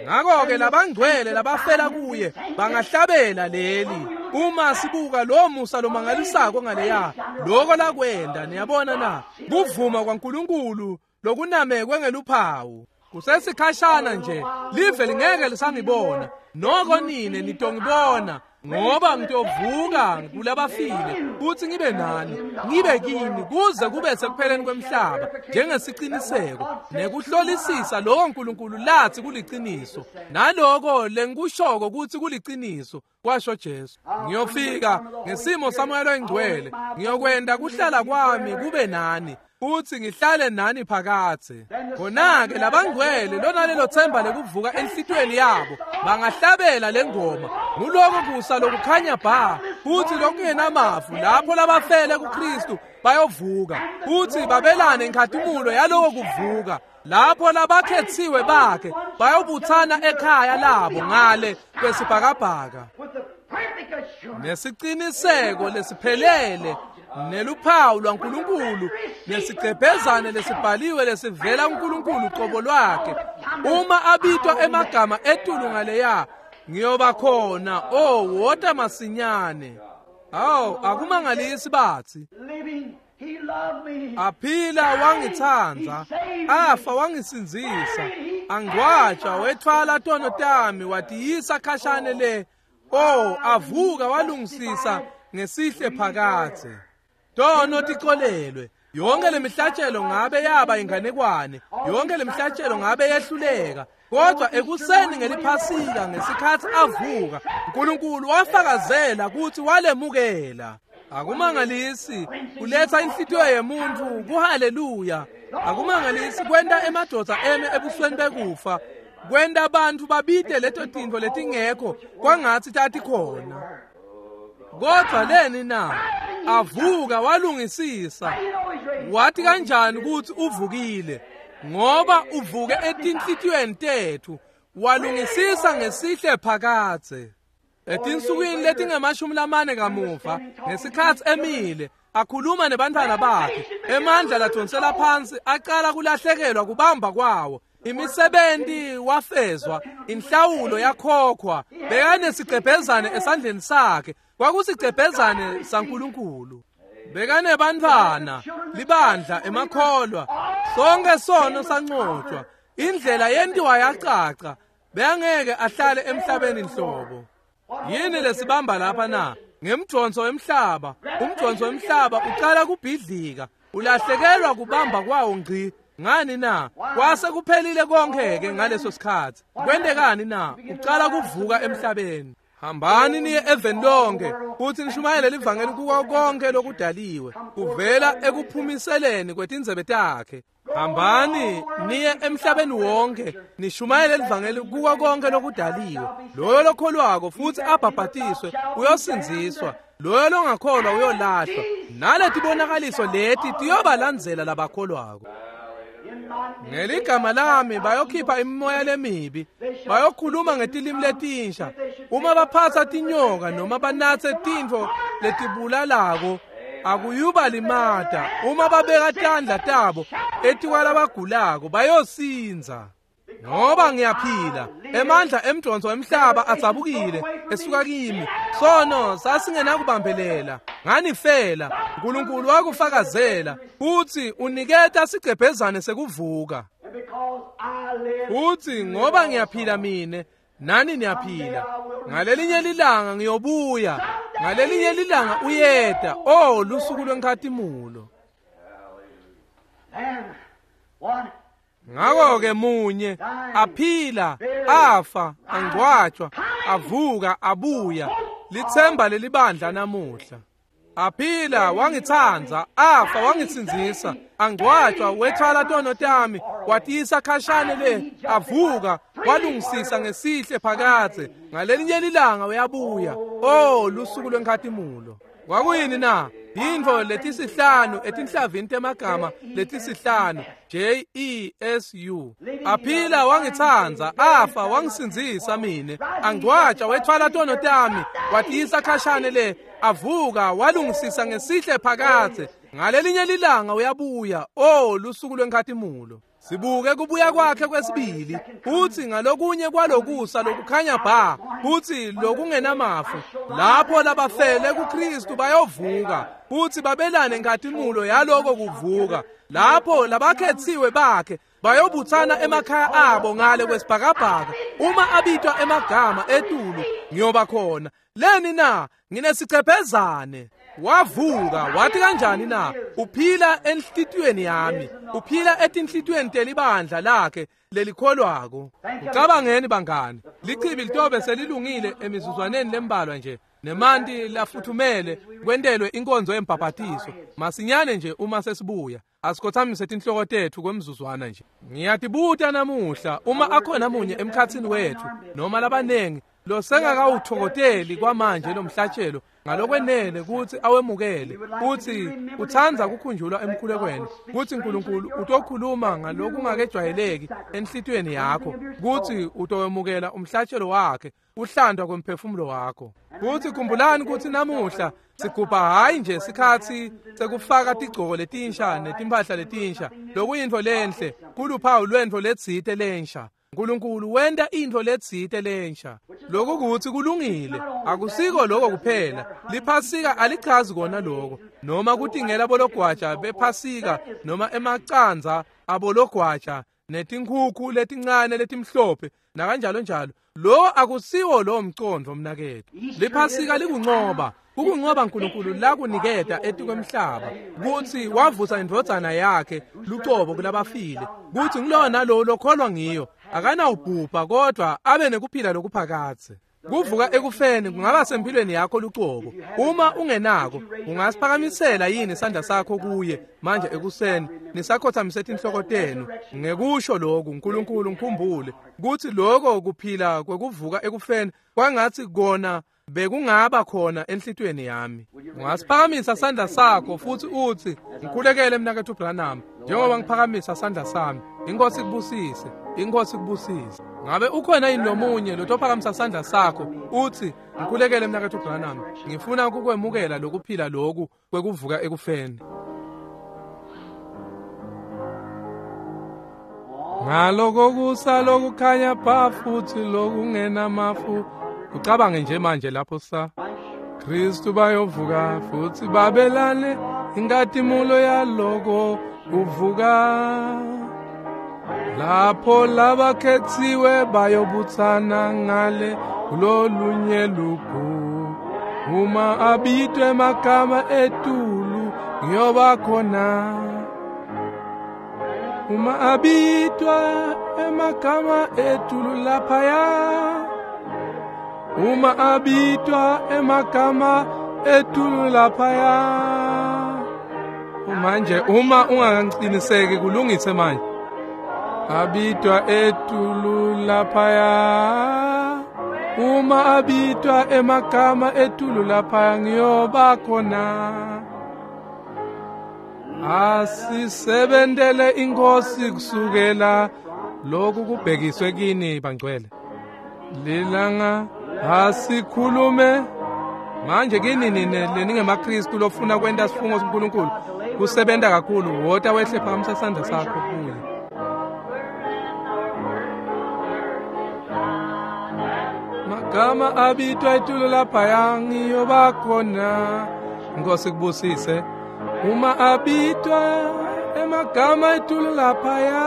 Ngakho-ke labangcwele labafela kuye bangahlabela leli. Uma sibuka lo musa lomangalisako ngaleya, lokho lakwenda, niyabona na, kuvuma kwaNkulunkulu lokunamekwe ngeluphawu. Kusesikhashana nje live lingeke lisangibona, noko nine nitongibona, ngoba ngitovuka kulabafile futhi ngibe nani, ngibe kini kuze kube sekupheleni kwemhlaba, njengesiciniseko nekuhlolisisa lokho uNkulunkulu lathi kuliciniso naloko lengikushoko kuthi kuliciniso, kwasho Jesu. Ngiyofika ngesimo saMoya loyiNgcwele, ngiyokwenda kuhlala kwami kube nani futhi ngihlale nani phakathe. Khona-ke labangcwele lona lelo themba lekuvuka enhlitiyweni yabo bangahlabela le ngoma. Nguloko kusa lokukhanya bha futhi lokungenamafu, lapho labafele kuKristu bayovuka futhi babelane inkhatimulo yaloko kuvuka, lapho labakhethiwe bakhe bayobuthana ekhaya labo ngale kwesibhakabhaka nesiciniseko lesiphelele neluphawu lwaNkulunkulu nesigcebhezane lesibhaliwe lesivela kuNkulunkulu qobo lwakhe. Uma abitwa emagama etulu ngaleya, ngiyoba khona. Oh, wota masinyane. Awu, akumangalisi bathi aphila wangitsandza, afa wangisindzisa, angcwatshwa wethwala tono tami watiyisa khashane le. Oh, avuka walungisisa ngesihle phakathe. Tono ticolelwe. Yonke lemihlatshelo ngabe yaba inganekwane, yonke lemihlatshelo ngabe yehluleka, kodwa ekuseni ngeliphasika ngesikhathi avuka, uNkulunkulu wafakazela ukuthi walemukela. Akumangalisi kuletha inhlitiyo yemuntu kuhaleluya. Akumangalisi kwenta emadoda eme ebusweni bekufa, kwenta abantu babite leto tintfo letingekho kwangatsi tatikhona. Kodwa leni na? Avuka walungisisa. Wathi kanjani ukuthi uvukile? Ngoba uvuke etinhlitiyweni tethu, walungisisa ngesihle phakathe. Etinsukwini letingemashumi lamane kamuva, ngesikhathi emile akhuluma nebantwana bakhe, emandla ladonsela phansi aqala kulahlekelwa kubamba kwawo. Imisebenti wafezwa, inhlawulo yakhokhwa. Bekanesigcebhezane esandleni sakhe, kwakusigcebhezane saNkulunkulu. Bekanebantwana, libandla, emakholwa, sonke sono sancotshwa, indlela yentiwa yacaca. Bengeke ahlale emhlabeni nhlobo. Yini lesibamba lapha na? Ngemdonso wemhlaba. Umdonso wemhlaba uqala kubhidlika, ulahlekelwa kubamba kwawo ngci. Ngani na? Kwase kuphelile konke ke ngaleso sikhathi. Kwentekani na? Uqala kuvuka emhlabeni. Hambani niye eveni lonke futhi nishumayele livangeli kuko konke lokudaliwe, kuvela ekuphumiseleni kwetindzebe takhe. Hambani niye emhlabeni wonke nishumayele livangeli kuko konke lokudaliwe. Loyo lokholwako futhi abhabhatiswe uyosindziswa, loyo longakholwa uyolahlwa. Naletibonakaliso leti tiyobalandzela labakholwako. Ngeligama lami bayokhipha imimoya lemibi, bayokhuluma ngetilimi letinsha. Uma baphatsa tinyoka noma banatse tintfo letibulalako, akuyuba limata. Uma babeka tandla tabo etikwalabagulako bayosindza. Ngoba ngiyaphila, emandla emdonso wemhlaba adzabukile esuka kimi. Sono sasingenakubambelela, nganifela. uNkulunkulu wakufakazela futhi uniketa sigcebhezane sekuvuka. Futhi ngoba ngiyaphila mine, nani niyaphila. Ngalelinye lilanga ngiyobuya, ngalelinye lilanga uyeta. Oh, lusuku lwenkhatimulo. Ngakho-ke munye aphila, afa, angcwatshwa, avuka, abuya, lithemba lelibandla namuhla. Aphila wangitsandza, afa wangisindzisa, angcwatshwa wethwala tono tami, watiyisa khashane le, avuka walungisisa ngesihle phakathe. Ngalelinye lilanga uyabuya. Oh, lusuku lwenkhatimulo. Kwakuyini na? Yintfo letisihlanu etinhlavini temagama letisihlanu, J E S U. Aphila wangitsandza, afa wangisindzisa mine, angcwatsha wethwala tono tami, watiyisa khashane le, avuka walungisisa ngesihle phakathe. Ngalelinye lilanga uyabuya. Oh, lusuku lwenkhatimulo. Sibuke kubuya kwakhe kwesibili, futsi ngalokunye kwalokusa lokukhanya bha, futsi lokungenamafu, lapho labafele kuKristu bayovuka, futsi babelane nkatimula yaloko kuvuka. Lapho labakhetsiwe bakhe bayobutsana emakhaya abo ngale kwesibhakabhaka. Uma abitwa emagama etulu, ngiyoba khona. Leni na? Nginesicephezane. Wavuka, wathi kanjani na? Uphila enhlitiyweni yami, uphila etinhlitiyweni telibandla lakhe lelikholwako. Ucabangeni bangani, lichibi litobe selilungile emizuzwaneni lembalwa nje, nemanti lafuthumele kwentelwe inkonzo yembhabhatiso masinyane nje uma sesibuya. Asikhothamise tinhloko tetfu kwemzuzwana nje. Ngiyatibuta namuhla uma akhona munye emkhatsini wetfu noma labanengi losengakawuthokoteli kwamanje lo mhlatshelo ngalokwenele kutsi awemukele, kutsi utsandza kukhunjulwa emkhulekweni, kutsi Nkulunkulu utokhuluma ngalokungakejwayeleki enhlitiyweni yakho, kutsi utowemukela umhlatshelo wakhe, uhlandwa kwemphefumulo wakho. Kutsi khumbulani kutsi namuhla sigubha hhayi nje sikhatsi sekufaka tigcoko letinsha netimpahla letinsha, lokuyintfo lenhle, kuluphawu lwentfo letsite lensha. Nkulunkulu wenta intfo letsite lensha. Lokhu kutsi kulungile, akusiko lokho kuphela. Liphasika alichazi kona lokho, noma kutingela bologwaja bephasika noma emacandza abologwaja netinkhukhu letincane letimhlophe nakanjalo njalo. Lo akusiwo lo mcondvo mnaketfu. Liphasika likuncoba, kukuncoba Nkulunkulu lakuniketa etikwemhlaba, kutsi wavusa indvodzana yakhe lucobo kulabafile, kutsi ngulowo nalowo lokholwa ngiyo akanawubhubha kodwa abe nekuphila lokuphakadze. Kuvuka ekufeni kungaba sempilweni yakho lucobo. Uma ungenako, ungasiphakamisela yini sandla sakho kuye manje ekuseni, nisakhothamise tinhloko tenu ngekusho lokhu: Nkulunkulu ngikhumbule kutsi lokho kuphila kwekuvuka ekufeni kwangatsi kona bekungaba khona enhlitiyweni yami. Ungasiphakamisa sandla sakho futhi utsi, ngikhulekele mnaketfu Branham, njengoba ngiphakamisa sandla sami. Inkosi ikubusise, inkosi ikubusise. Ngabe ukhona yini lomunye lotophakamisa sandla sakho utsi, ngikhulekele mnaketfu Branham, ngifuna kukwemukela lokuphila loku kwekuvuka ekufeni. Ngaloko kusa lokukhanya bha futhi lokungenamafu. Ucabange nje manje lapho sa Kristu bayovuka futhi babelane inkatimulo yaloko kuvuka. Lapho labakhetsiwe bayobutsana ngale kulolunye lugu, uma abitwe emagama etulu ngiyoba khona. Uma abitwa emagama etulu laphaya, uma abitwa emagama etulu laphaya. Manje uma ungaqiniseki kulungise manje. Abitwa etulu laphaya, uma abitwa emagama etulu laphaya ngiyoba khona. Asisebentele inkosi kusukela lokhu kubhekiswe kini bangcwele. Lilanga asikhulume manje kini nine leningemaKristu lofuna kwenta sifungo seNkulunkulu kusebenta kakhulu, wota wehle phakamisa sandla sakho kuye. Magama abitwa etulu laphaya ngiyoba khona. Inkosi kubusise. Uma abitwa emagama etulu laphaya,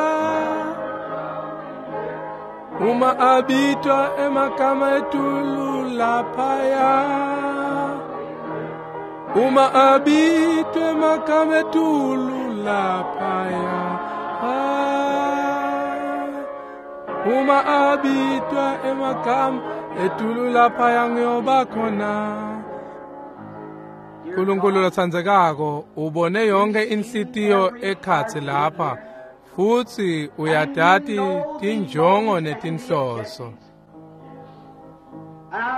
uma abitwa emagama etulu laphaya, uma abitwa emagama etulu laphaya, uma abitwa emagama etulu laphaya ngiyoba khona. Nkulunkulu lotsandzekako, ubone yonke inhlitiyo ekhatsi lapha, futsi uyadati tinjongo netinhloso.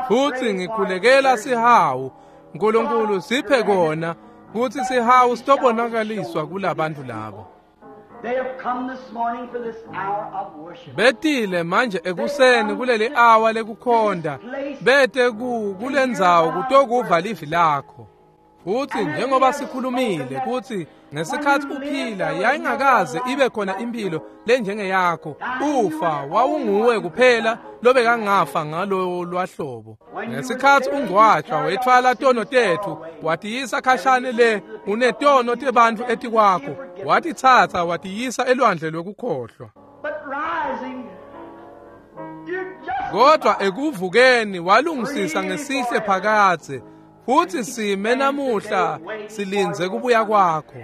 Futsi ngikhulekela sihawu, Nkulunkulu siphe kona kutsi sihawu sitobonakaliswa kulabantu labo. Betile manje ekuseni kuleli awa lekukhonda, bete ku kulendzawo kutokuva livi lakho. Futsi njengoba sikhulumile kutsi ngesikhatsi uphila yayingakaze ibe khona impilo lenjengeyakho, ufa wawunguwe kuphela lobekangafa ngalo lwahlobo. Ngesikhatsi ungcwatjwa wetfwala tono tetfu watiyisa khashane le unetono tebantfu etikwakho, watitsatsa watiyisa elwandle lwekukhohlwa. Kodwa ekuvukeni walungisisa ngesihle phakadze, futsi sime namuhla silindze kubuya kwakho.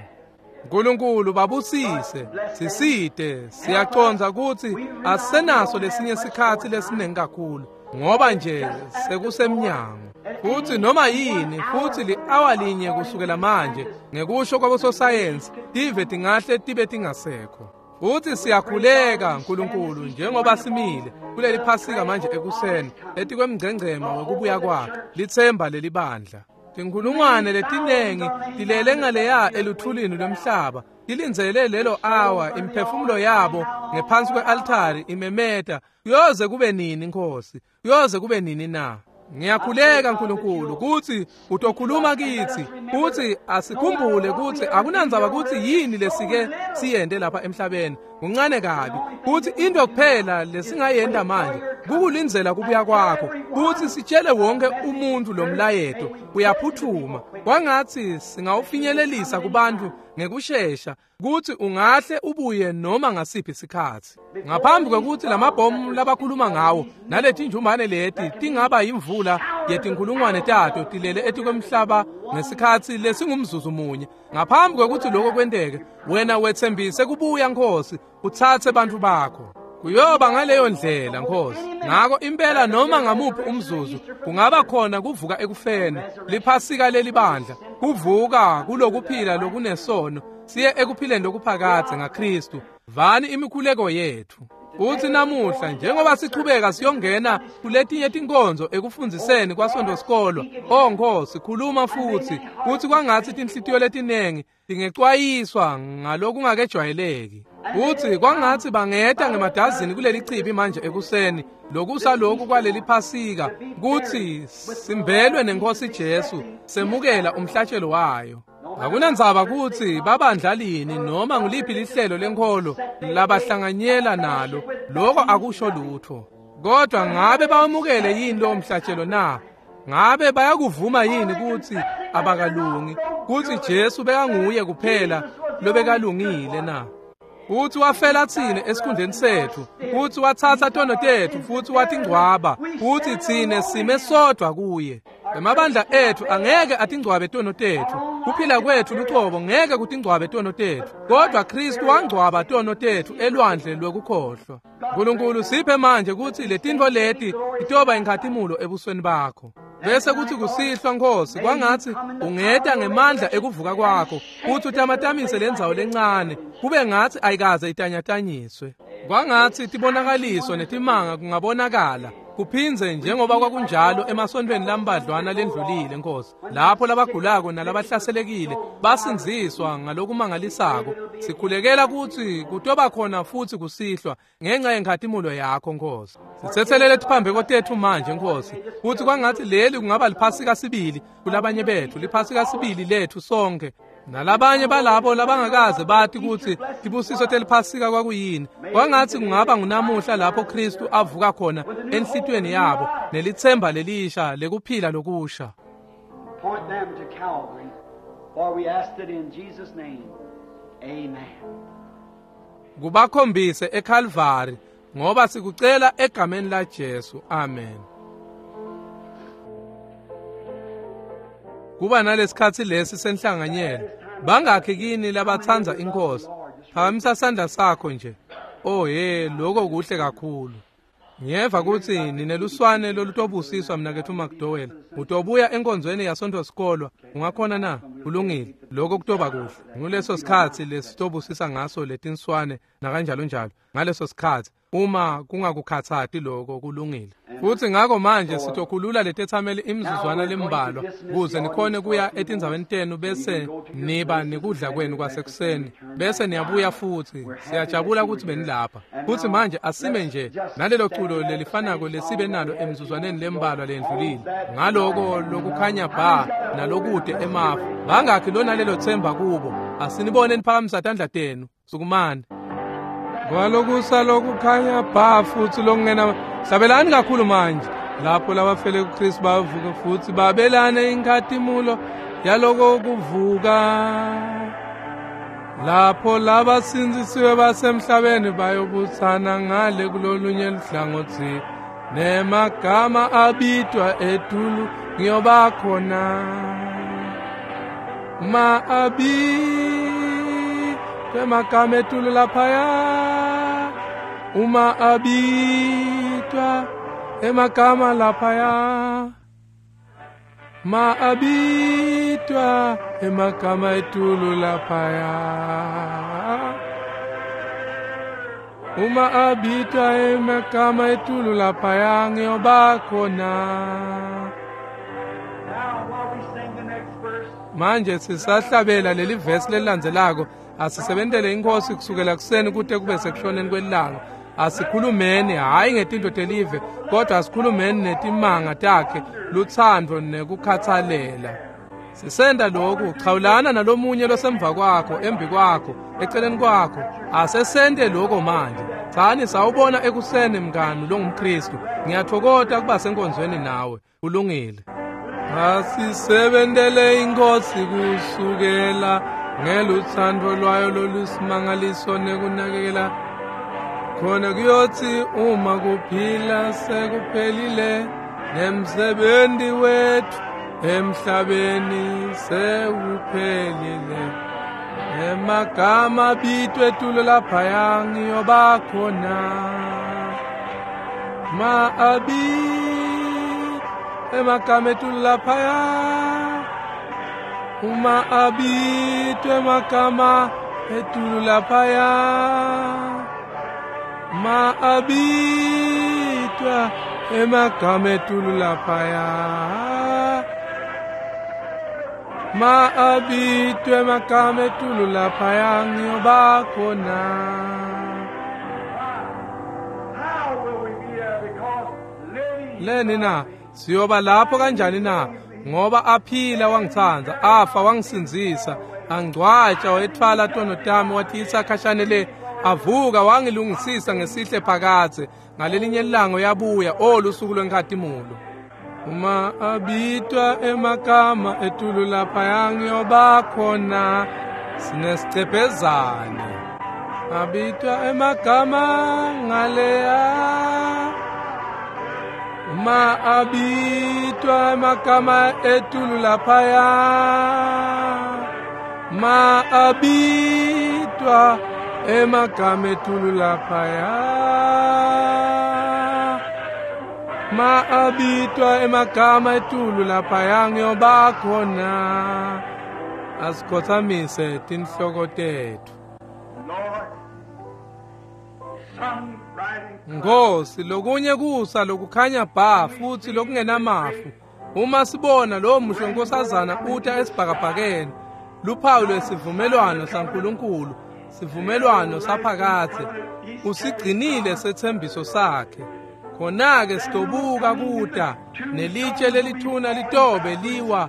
Nkulunkulu babusise, sisite, siyacondza kutsi asisenaso lesinye sikhatsi lesinengi kakhulu, ngoba nje sekusemnyango. Futsi noma yini, futsi li-awa linye kusukela manje, ngekusho kwabososayensi, tive tingahle tibe tingasekho. Futsi siyakhuleka Nkulunkulu njengoba simile kuleli Phasika manje ekuseni etikwemngcengcema wekubuya kwakhe, litsemba lelibandla. Tinkhulungwane letinengi tilele ngaleya eluthulini lwemhlaba, tilindzele lelo awa, imiphefumulo yabo ngephansi kwe-altari imemeta, kuyoze kube nini Nkosi, kuyoze kube nini na? Ngiyakhuleka Nkulunkulu kutsi utokhuluma kitsi, kutsi asikhumbule kutsi akunandzaba kutsi yini lesike siyente lapha emhlabeni, kuncane kabi, kutsi into kuphela lesingayenta manje kukulindzela kubuya kwakho, kutsi sitshele wonke umuntu lomlayeto uyaphuthuma, kwangatsi singawufinyelelisa kubantu ngekushesha kutsi ungahle ubuye noma ngasiphi sikhatsi. Ngaphambi kwekutsi lamabhomu labakhuluma ngawo naletinjumbane leti tingaba yimvula yetinkhulungwane tato tilele etikwemhlaba ngesikhatsi lesingumzuzu munye, ngaphambi kwekutsi lokho kwenteke, wena wetsembise kubuya Nkosi, utsatse bantfu bakho. Kuyoba ngaleyo ndlela Nkosi. Ngako impela noma ngamuphi umzuzu kungaba khona kuvuka ekufeni, liphasika lelibandla, kuvuka kulokuphila lokunesono siye ekuphileni lokuphakadze ngaKristu. Vani imikhuleko yethu. Utsi namuhla njengoba sichubeka siyongena kuletinye tinkonzo ekufundziseni kwaSontfo sikolwa, oh Nkosi, khuluma futsi kutsi kwangatsi tinhlitiyo letinengi tingecwayiswa ngalokungakejwayeleki. Utsi kwangatsi bangeta ngemadazini kuleli chibi manje ekuseni lokusa lokhu kwaleli Phasika, kutsi simbelwe nenkosi Jesu semukela umhlatshelo wayo. Akunandzaba kutsi babandla lini noma nguliphi lihlelo lenkholo labahlanganyela nalo, lokho akusho lutho. Kodwa ngabe bawamukele yini lowo mhlatshelo na? Ngabe bayakuvuma yini kutsi abakalungi, kutsi Jesu bekanguye kuphela lobekalungile na? Futsi wafela tsine esikhundleni setfu, futsi watsatsa tono tetfu, futsi watingcwaba, futsi tsine sime sodvwa kuye. Emabandla etfu angeke atingcwabe tono tetfu, kuphila kwetfu lucobo ngeke kutingcwabe tono tetfu, kodwa Kristu wangcwaba tono tetfu elwandle lwekukhohlwa. Nkulunkulu siphe manje kutsi letintfo leti titoba inkhatimulo ebusweni bakho. Bese kuthi kusihlwa Nkosi, kwangatsi ungeta ngemandla ekuvuka kwakho, kutsi utamatamise lendzawo lencane kube ngatsi ayikaze itanyatanyiswe. Kwangatsi tibonakaliso netimanga kungabonakala kuphindze njengoba kwakunjalo emasontfweni lambadlwana lendlulile Nkosi, lapho labagulako nalabahlaselekile basindziswa ngalokumangalisako. Sikhulekela kutsi kutoba khona futsi kusihlwa ngenxa yenkhatimulo yakho Nkosi. Sitsetselele tiphambeko tetfu manje Nkosi, kutsi kwangatsi leli kungaba liphasika sibili kulabanye betfu, liphasika sibili letfu sonke nalabanye balabo labangakaze bati kutsi tibusiso teliphasika kwakuyini. Kwangatsi kungaba ngunamuhla lapho Kristu avuka khona enhlitiyweni yabo nelitsemba lelisha lekuphila lokusha. Point them to Calvary, for we asked it in Jesus' name. Amen. Kubakhombise eCalvary, ngoba sikucela egameni la Jesu. Amen. Kuba nalesikhatsi lesi senhlanganyelo, bangakhi kini labatsandza inkosi? Phakamisa sandla sakho nje. Oh hey, lokho kuhle kakhulu. Ngiyeva kutsi nineluswane lolutobusiswa mnaketfu McDowell. Utobuya enkonzweni yaSontfo sikolwa, ungakhona na? Kulungile, lokho kutoba kuhle. Nguleso sikhatsi lesitobusisa ngaso letinswane nakanjalo njalo. Ngaleso sikhatsi Uma kungakukhatsati lokho kulungile. Futsi ngako manje sitokhulula letetsameli imizuzwana lembalwa kuze nikhone kuya etindzaweni tenu bese niba nekudla kwenu kwasekuseni bese niyabuya futsi. Siyajabula kutsi benilapha. Futsi manje asime nje nalelo culo lelifanako lesibe nalo emizuzwaneni lembalwa lendlulile, ngaloko lokukhanya bha nalokude emafu. Bangakhi lona lelo themba kubo? Asinibone niphakamisa tandla tenu. Sukumani. Kwalokusa lokukhanya bha futsi lokungena. Hlabelani kakhulu manje. Lapho labafele kuKristu bavuka futsi babelane inkhatimulo yaloko kuvuka. Lapho labasindzisiwe basemhlabeni bayobutsana ngale kulolunye luhlangotsi, nemagama abitwa etulu ngiyoba khona. Ma abitwe emagama etulu laphaya, uma abitwa emagama laphaya, ma abitwa emagama etulu laphaya, uma abitwa emagama etulu laphaya ngiyoba khona. Manje sisahlabela leli vesi lelilandzelako. Asisebentele inkosi kusukela kuseni kute kube sekushoneni kwelanga. Asikhulumeni hhayi ngetinto telive, kodwa asikhulumeni netimanga takhe, lutsandvo nekukhatsalela. Sisenda lokhu, chawulana nalomunye losemva kwakho, embi kwakho, eceleni kwakho. Asesente lokho manje. Tsani sawubona ekuseni mngani longumKristu. Ngiyathokoza kuba senkonzweni nawe. Kulungile. Asisebentele inkosi kusukela ngelutsandvo lwayo lolusimangaliso nekunakekela. Khona kuyothi uma kuphila sekuphelile nemsebenzi wethu emhlabeni sewuphelile, emagama abitwe etulu laphaya ngiyoba khona. Ma abi emagama etulu laphaya, uma abitwe emagama etulu laphaya, ma abitwa emagama etulu laphaya, ma abitwe emagama etulu laphaya ngiyoba khona. Leni na siyoba lapho kanjani na? Ngoba aphila wangitsandza, afa wangisindzisa, angcwatsha wetfwala tono tami watiyisa khashane le, avuka wangilungisisa ngesihle phakadze. Ngalelinye ilanga uyabuya, o lusuku lwenkhatimulo. Uma abitwa emagama etulu laphaya ngiyoba khona. Sinesicebhezane. Abitwa emagama ngaleya, uma abitwa emagama etulu laphaya, ma abitwa emagama etulu laphaya, ma abitwa emagama etulu laphaya ngiyoba khona. Asikhothamise tinhloko tetfu. Nkosi, lokunye kusa lokukhanya bha futsi lokungenamafu. Uma sibona lowo muhle nkosazana uta esibhakabhakeni, luphawu lwesivumelwano saNkulunkulu, sivumelwano saphakadze, usigcinile sethembiso sakhe. Khona-ke sitobuka kuta nelitshe lelithuna litobe liwa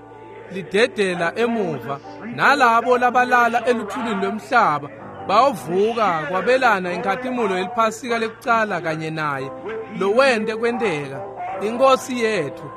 lidedela emuva, nalabo labalala eluthulini lwemhlaba bayovuka kwabelana inkhatimulo yeliphasika lekucala kanye naye lowente kwenteka, inkosi yetfu.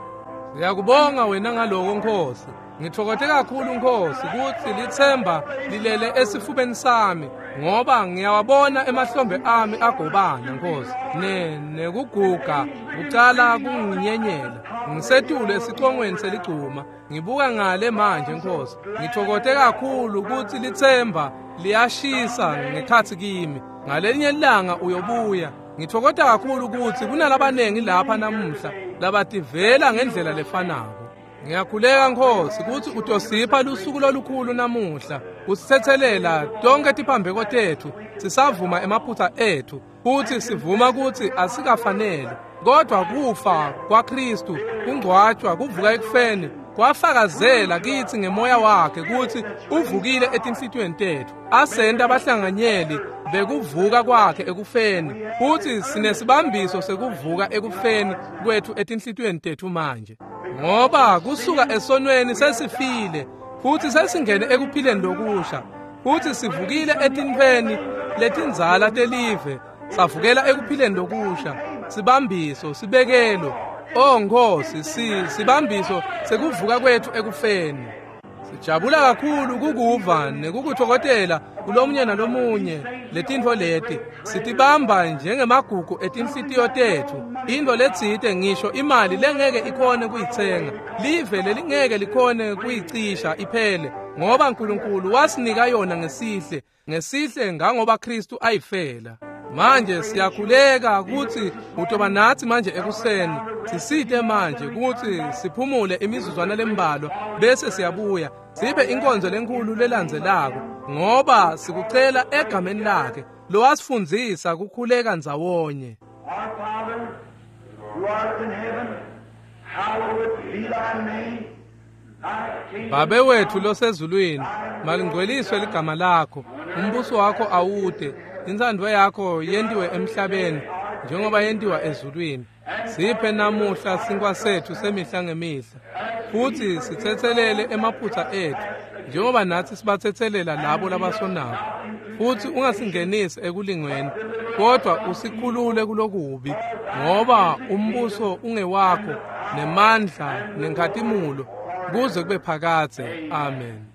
Ngiyakubonga wena ngaloko Nkosi. Ngithokote kakhulu Nkosi kutsi litsemba lilele esifubeni sami, ngoba ngiyawabona emahlombe ami agobana Nkosi, ne nekuguga kucala kunginyenyela. Ngisetulu esicongweni seligcuma, ngibuka ngale manje Nkosi. Ngithokote kakhulu kutsi litsemba liyashisa ngekhatsi kimi. Ngalenye ilanga uyobuya. Ngithokoza kakhulu kutsi kunalabanengi lapha namuhla labativela ngendlela lefanako. Ngiyakhuleka Nkosi kutsi utosipha lusuku lolukhulu namuhla usithethelela tonke tiphambeko tetfu sisavuma emaphutsa etfu futsi sivuma kutsi asikafanele kodwa kufa kwaKristu kungcwatshwa kuvuka ekufeni kwafakazela kitsi ngemoya wakhe kutsi uvukile etinhlitiyweni tetfu asenta abahlanganyeli bekuvuka kwakhe ekufeni futsi sinesibambiso sekuvuka ekufeni kwetfu etinhlitiyweni tetfu manje ngoba kusuka esonweni sesifile futsi sesingene ekuphileni lokusha futsi sivukile etintfweni letindzala telive savukela ekuphileni lokusha sibambiso sibekelo oh Nkosi si sibambiso sekuvuka kwetfu ekufeni. Sijabula kakhulu kukuva nekukutfokotela kulomunye nalomunye letintfo leti sitibamba njengemagugu etinhlitiyo tetfu intfo letsite ngisho imali lengeke ikhone kuyitsenga live lelingeke likhone kuyicisha iphele ngoba uNkulunkulu wasinika yona ngesihle ngesihle ngangoba Kristu ayifela. Manje siyakhuleka kutsi utoba natsi manje ekuseni sisite manje kutsi siphumule imizuzwana lembalwa bese siyabuya sibe inkonzo lenkulu lelandzelako ngoba sikucela egameni lakhe lowasifundzisa kukhuleka ndzawonye. Our Father, who art in heaven, hallowed be thy name. Thy kingdom Babe wethu losezulwini malingcweliswe ligama lakho umbuso wakho awude intsandvo yakho yentiwe emhlabeni njengoba yentiwa ezulwini. Siphe namuhla sinkwa setfu semihla ngemihla futsi sitsetselele emaphutsa etfu njengoba natsi sibatsetselela labo labasonako futsi ungasingenisi ekulingweni kodwa usikhulule kulokubi ngoba umbuso ungewakho nemandla nenkhatimulo kuze kube phakadze. Amen.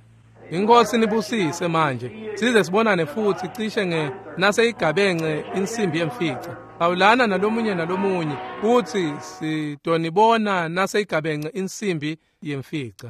Inkosi nibusise manje size sibonane futsi cishe nge naseyigabence insimbi yemfica. Awulana nalomunye nalomunye futsi sitonibona naseyigabence insimbi yemfica.